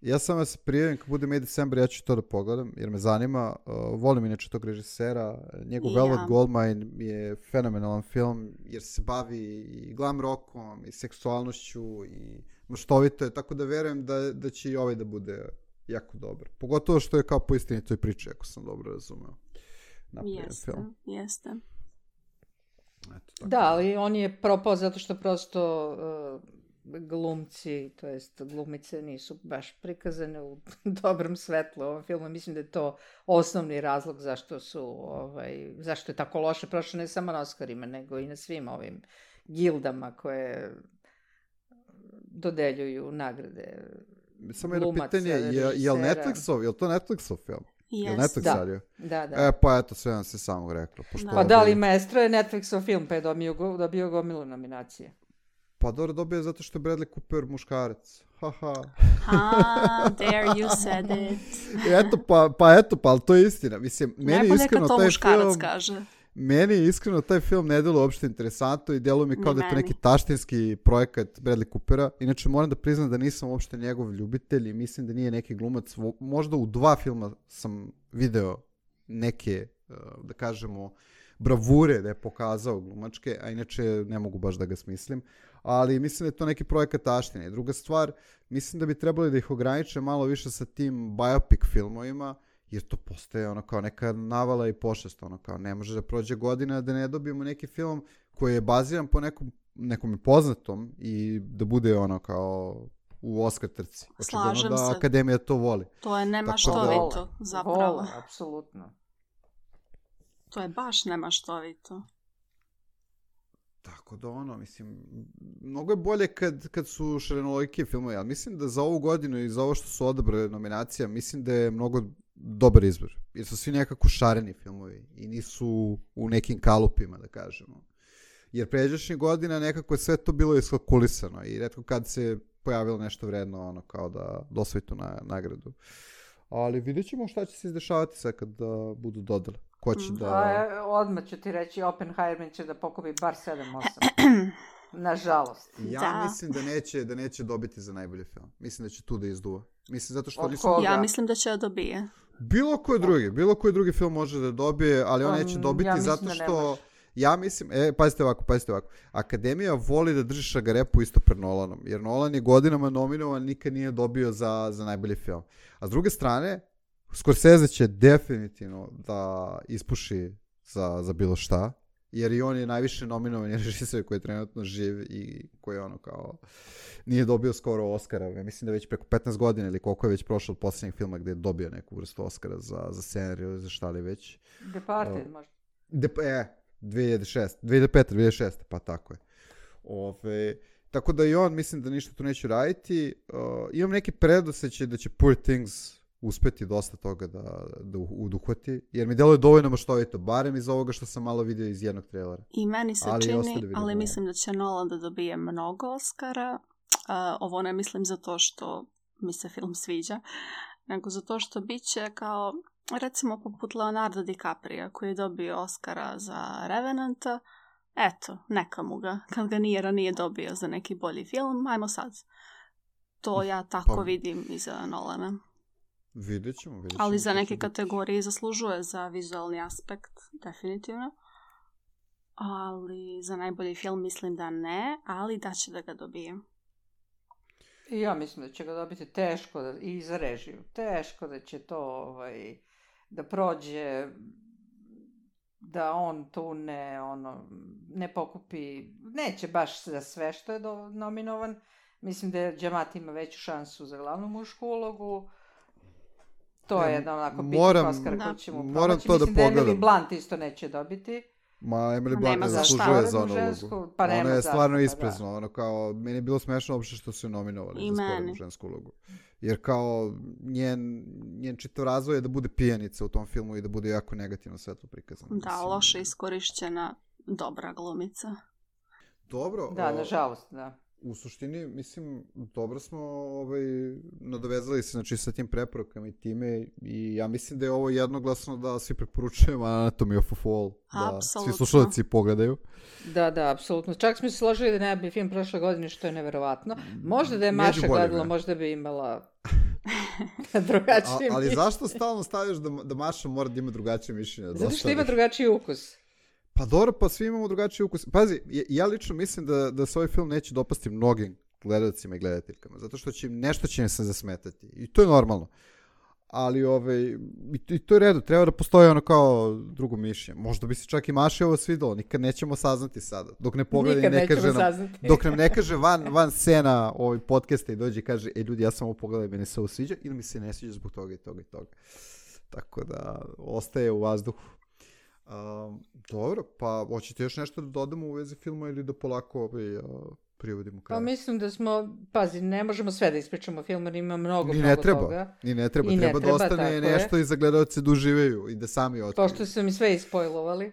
S5: Ja sam vas prijavim kad bude May December, ja ću to da pogledam, jer me zanima. Uh, volim inače tog režisera. Njegov ja. Velvet Goldmine je fenomenalan film, jer se bavi i glam rockom, i seksualnošću, i maštovito je, tako da verujem da, da će i ovaj da bude jako dobar. Pogotovo što je kao po istinitoj priči, ako sam dobro razumeo.
S4: Jeste, film. jeste.
S3: Eto, da, ali on je propao zato što prosto uh, glumci, to jest glumice nisu baš prikazane u dobrom svetlu u ovom filmu. Mislim da je to osnovni razlog zašto su, ovaj, zašto je tako loše prošlo ne samo na Oscarima, nego i na svim ovim gildama koje dodeljuju nagrade
S5: samo jedno
S3: glumaca,
S5: pitanje, je, je li
S3: režisera.
S5: Netflixov, je li to Netflixov film? Je li
S4: Jest.
S5: Netflix
S3: Da.
S5: radio?
S3: Da, da.
S5: E, pa eto, sve vam se samo reklo. Pošto
S4: Da.
S3: Pa
S5: ovaj-
S3: da li Maestro je Netflixov film, pa je dobio, go- dobio gomilu nominacije.
S5: Pa dobro dobije zato što je Bradley Cooper muškarac. Haha.
S4: Ah, there you said it.
S5: Eto, pa, pa eto, pa ali to je istina. Mislim, meni
S4: Najbolje
S5: iskreno
S4: kad to
S5: taj
S4: muškarac
S5: film...
S4: kaže.
S5: Meni iskreno taj film ne deluje uopšte interesantno i deluje mi kao
S4: Ni
S5: da je to
S4: meni.
S5: neki taštinski projekat Bradley Coopera. Inače moram da priznam da nisam uopšte njegov ljubitelj i mislim da nije neki glumac. Vo- Možda u dva filma sam video neke, uh, da kažemo, bravure da je pokazao glumačke, a inače ne mogu baš da ga smislim. Ali mislim da je to neki projekat taštine. I druga stvar, mislim da bi trebali da ih ograniče malo više sa tim biopic filmovima, jer to postaje ono kao neka navala i pošast, ono kao ne može da prođe godina da ne dobijemo neki film koji je baziran po nekom, nekom poznatom i da bude ono kao u Oscar trci. Očigledno
S4: Slažem
S5: da
S4: se.
S5: Akademija to voli.
S4: To je
S5: Tako da-
S4: nemaštovito,
S3: Vole,
S4: zapravo.
S3: Vole, apsolutno.
S4: To je baš nemaštovito.
S5: Tako da ono, mislim, mnogo je bolje kad, kad su šarenoliki filmovi, ali mislim da za ovu godinu i za ovo što su odabrali nominacija, mislim da je mnogo dobar izbor. Jer su svi nekako šareni filmovi i nisu u nekim kalupima, da kažemo. Jer pređašnjih godina nekako je sve to bilo iskalkulisano i retko kad se pojavilo nešto vredno, ono, kao da dosvoji tu na, nagradu. Ali vidjet ćemo šta će se izdešavati sad kad da budu dodali. Ko će
S4: Mm.
S5: da...
S3: A, e, odmah ću ti reći, Oppenheimer će da pokupi bar sedam osam. Nažalost.
S5: Ja
S4: Da.
S5: mislim da neće, da neće dobiti za najbolji film. Mislim da će tu da izduva. Mislim zato što
S3: Od
S5: nisu...
S3: koga?
S4: Ja mislim da će da dobije.
S5: Bilo koji drugi, bilo koji drugi film može da dobije, ali on
S3: Um,
S5: neće dobiti
S3: ja mislim
S5: zato
S3: da ne
S5: što...
S3: može.
S5: Ja mislim, e, pazite ovako, pazite ovako. Akademija voli da drži šagarepu isto pred Nolanom, jer Nolan je godinama nominovan, nikad nije dobio za, za najbolji film. A s druge strane, Scorsese će definitivno da ispuši za, za bilo šta, jer i on je najviše nominovan režiser koji je trenutno živ i koji je ono kao nije dobio skoro Oscara. Ja mislim da već preko petnaest godina ili koliko je već prošlo od posljednjeg filma gdje je dobio neku vrstu Oscara za, za scenariju ili za šta li već.
S3: Departed možda.
S5: De, e, dve hiljade šeste, dve hiljade pete, dve hiljade šeste, pa tako je. Ove, tako da i on mislim da ništa tu neće raditi. Uh, imam neki predosećaj da će Poor Things uspeti dosta toga da, da uduhvati, jer mi deluje dovoljno maštovito, barem iz ovoga što sam malo vidio iz jednog trailera.
S4: I meni se
S5: Ali i ostali
S4: čini,
S5: vidimo.
S4: ali mislim da će Nolan da dobije mnogo Oscara. Uh, ovo ne mislim zato što mi se film sviđa, nego zato što bit će kao, recimo poput Leonardo DiCaprio koji je dobio Oscara za Revenanta. Eto, neka mu ga, kad ga nije ranije dobio za neki bolji film, ajmo sad. To ja tako
S5: Pa-
S4: vidim i za Nolana.
S5: Vidjet ćemo, vidjet ćemo.
S4: Ali za
S5: šta će
S4: neke
S5: biti.
S4: kategorije zaslužuje za vizualni aspekt, definitivno. Ali za najbolji film mislim da ne, ali da će da ga dobije.
S3: I ja mislim da će ga dobiti teško da, i za režiju. Teško da će to ovaj, da prođe, da on tu ne, ono, ne pokupi, neće baš za sve što je do, nominovan. Mislim da Giamatti ima veću šansu za glavnu mušku ulogu. To
S5: E,
S3: je jedan onako bitni
S5: moram-
S3: Oscar
S4: Da.
S3: koji će mu
S5: moram
S3: promaći.
S5: to da
S3: Mislim da Emily
S5: pogledam.
S3: Blunt isto neće dobiti.
S5: Ma, Emily
S4: Ma
S5: Blunt
S4: nema
S5: ne
S4: za šta.
S5: zaslužuje za
S3: Sporednu
S5: onu
S3: žensku,
S5: ulogu.
S3: pa
S5: Ona
S3: nema
S5: je
S3: zašto,
S5: stvarno
S3: pa da.
S5: ispresno, ono kao, meni je bilo smešno uopšte što su je nominovali
S4: I
S5: za sporednu
S4: meni.
S5: žensku ulogu. Jer kao, njen, njen čitav razvoj je da bude pijanica u tom filmu i da bude jako negativno svetlo prikazano.
S4: Da,
S5: Mislim,
S4: loše iskorišćena dobra glumica.
S5: Dobro,
S3: Da,
S5: o,
S3: nažalost, da.
S5: u suštini, mislim, dobro smo ovaj, nadovezali se znači, sa tim preporukama i time i ja mislim da je ovo jednoglasno da svi preporučujemo Anatomy of a Fall, da
S4: Apsolutno.
S5: svi slušalci pogledaju.
S3: Da, da, apsolutno. Čak smo se složili da je najbolji film prošle godine, što je neverovatno. Možda da je
S5: Među
S3: Maša
S5: boljima.
S3: gledala, možda bi imala
S5: A,
S3: drugačije
S5: ali
S3: mišljenje.
S5: zašto stalno stavljaš da, da Maša mora da ima drugačije mišljenje?
S3: Zato što ima
S5: Dosta-
S3: drugačiji ukus.
S5: Pa dobro, pa svi imamo drugačiji ukus. Pazi, ja, ja lično mislim da, da se ovaj film neće dopasti mnogim gledalcima i gledateljkama, zato što će im, nešto će im se zasmetati. I to je normalno. Ali ovaj, i, i to je redu, treba da postoji ono kao drugo mišljenje. Možda bi se čak i Maši ovo svidelo, nikad nećemo saznati sada. Dok ne pogleda i
S3: Nikad
S5: ne
S3: nećemo
S5: kaže nam,
S3: saznati.
S5: dok nam ne kaže van, van scena ovaj podcasta i dođe i kaže, e ljudi, ja sam ovo pogledao, meni se ovo sviđa ili mi se ne sviđa zbog toga i toga i toga. Tako da, ostaje u vazduhu. Um, dobro, pa hoćete još nešto da dodamo u vezi filma ili da polako ovaj, uh, privodimo
S3: Pa
S5: kraju.
S3: mislim da smo, pazi, ne možemo sve da ispričamo o filmu, jer ima mnogo,
S5: Ni ne
S3: mnogo
S5: treba,
S3: toga.
S5: ni ne treba,
S3: I ne
S5: treba da
S3: treba,
S5: ostane
S3: tako
S5: nešto
S3: je.
S5: i za gledalce da uživaju i da sami otkriju.
S3: Pošto su mi sve ispojlovali.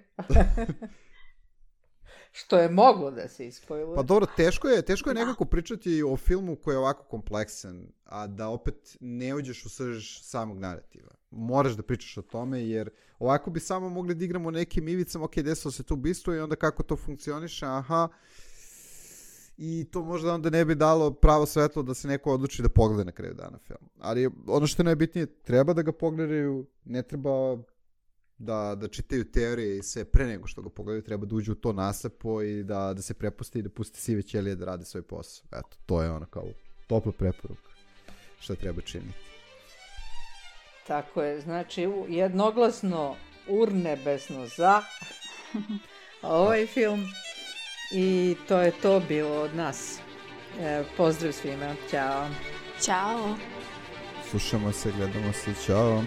S3: Što je moglo da se ispojluje.
S5: Pa dobro, teško je, teško je nekako pričati o filmu koji je ovako kompleksan, a da opet ne uđeš u srž samog narativa. Moraš da pričaš o tome, jer ovako bi samo mogli da igramo nekim ivicama, ok, desilo se to ubistvo i onda kako to funkcioniše, aha, i to možda onda ne bi dalo pravo svetlo da se neko odluči da pogleda na kraju dana film. Ali ono što je najbitnije, treba da ga pogledaju, ne treba da, da čitaju teorije i sve pre nego što ga pogledaju, treba da uđu u to naslepo i da, da se prepusti i da pusti sive ćelije da rade svoj posao. Eto, to je ono kao topla preporuka šta treba činiti.
S3: Tako je, znači jednoglasno urnebesno za ovaj film i to je to bilo od nas. E, pozdrav svima, ćao.
S4: Ćao.
S5: Slušamo se, gledamo se, čao.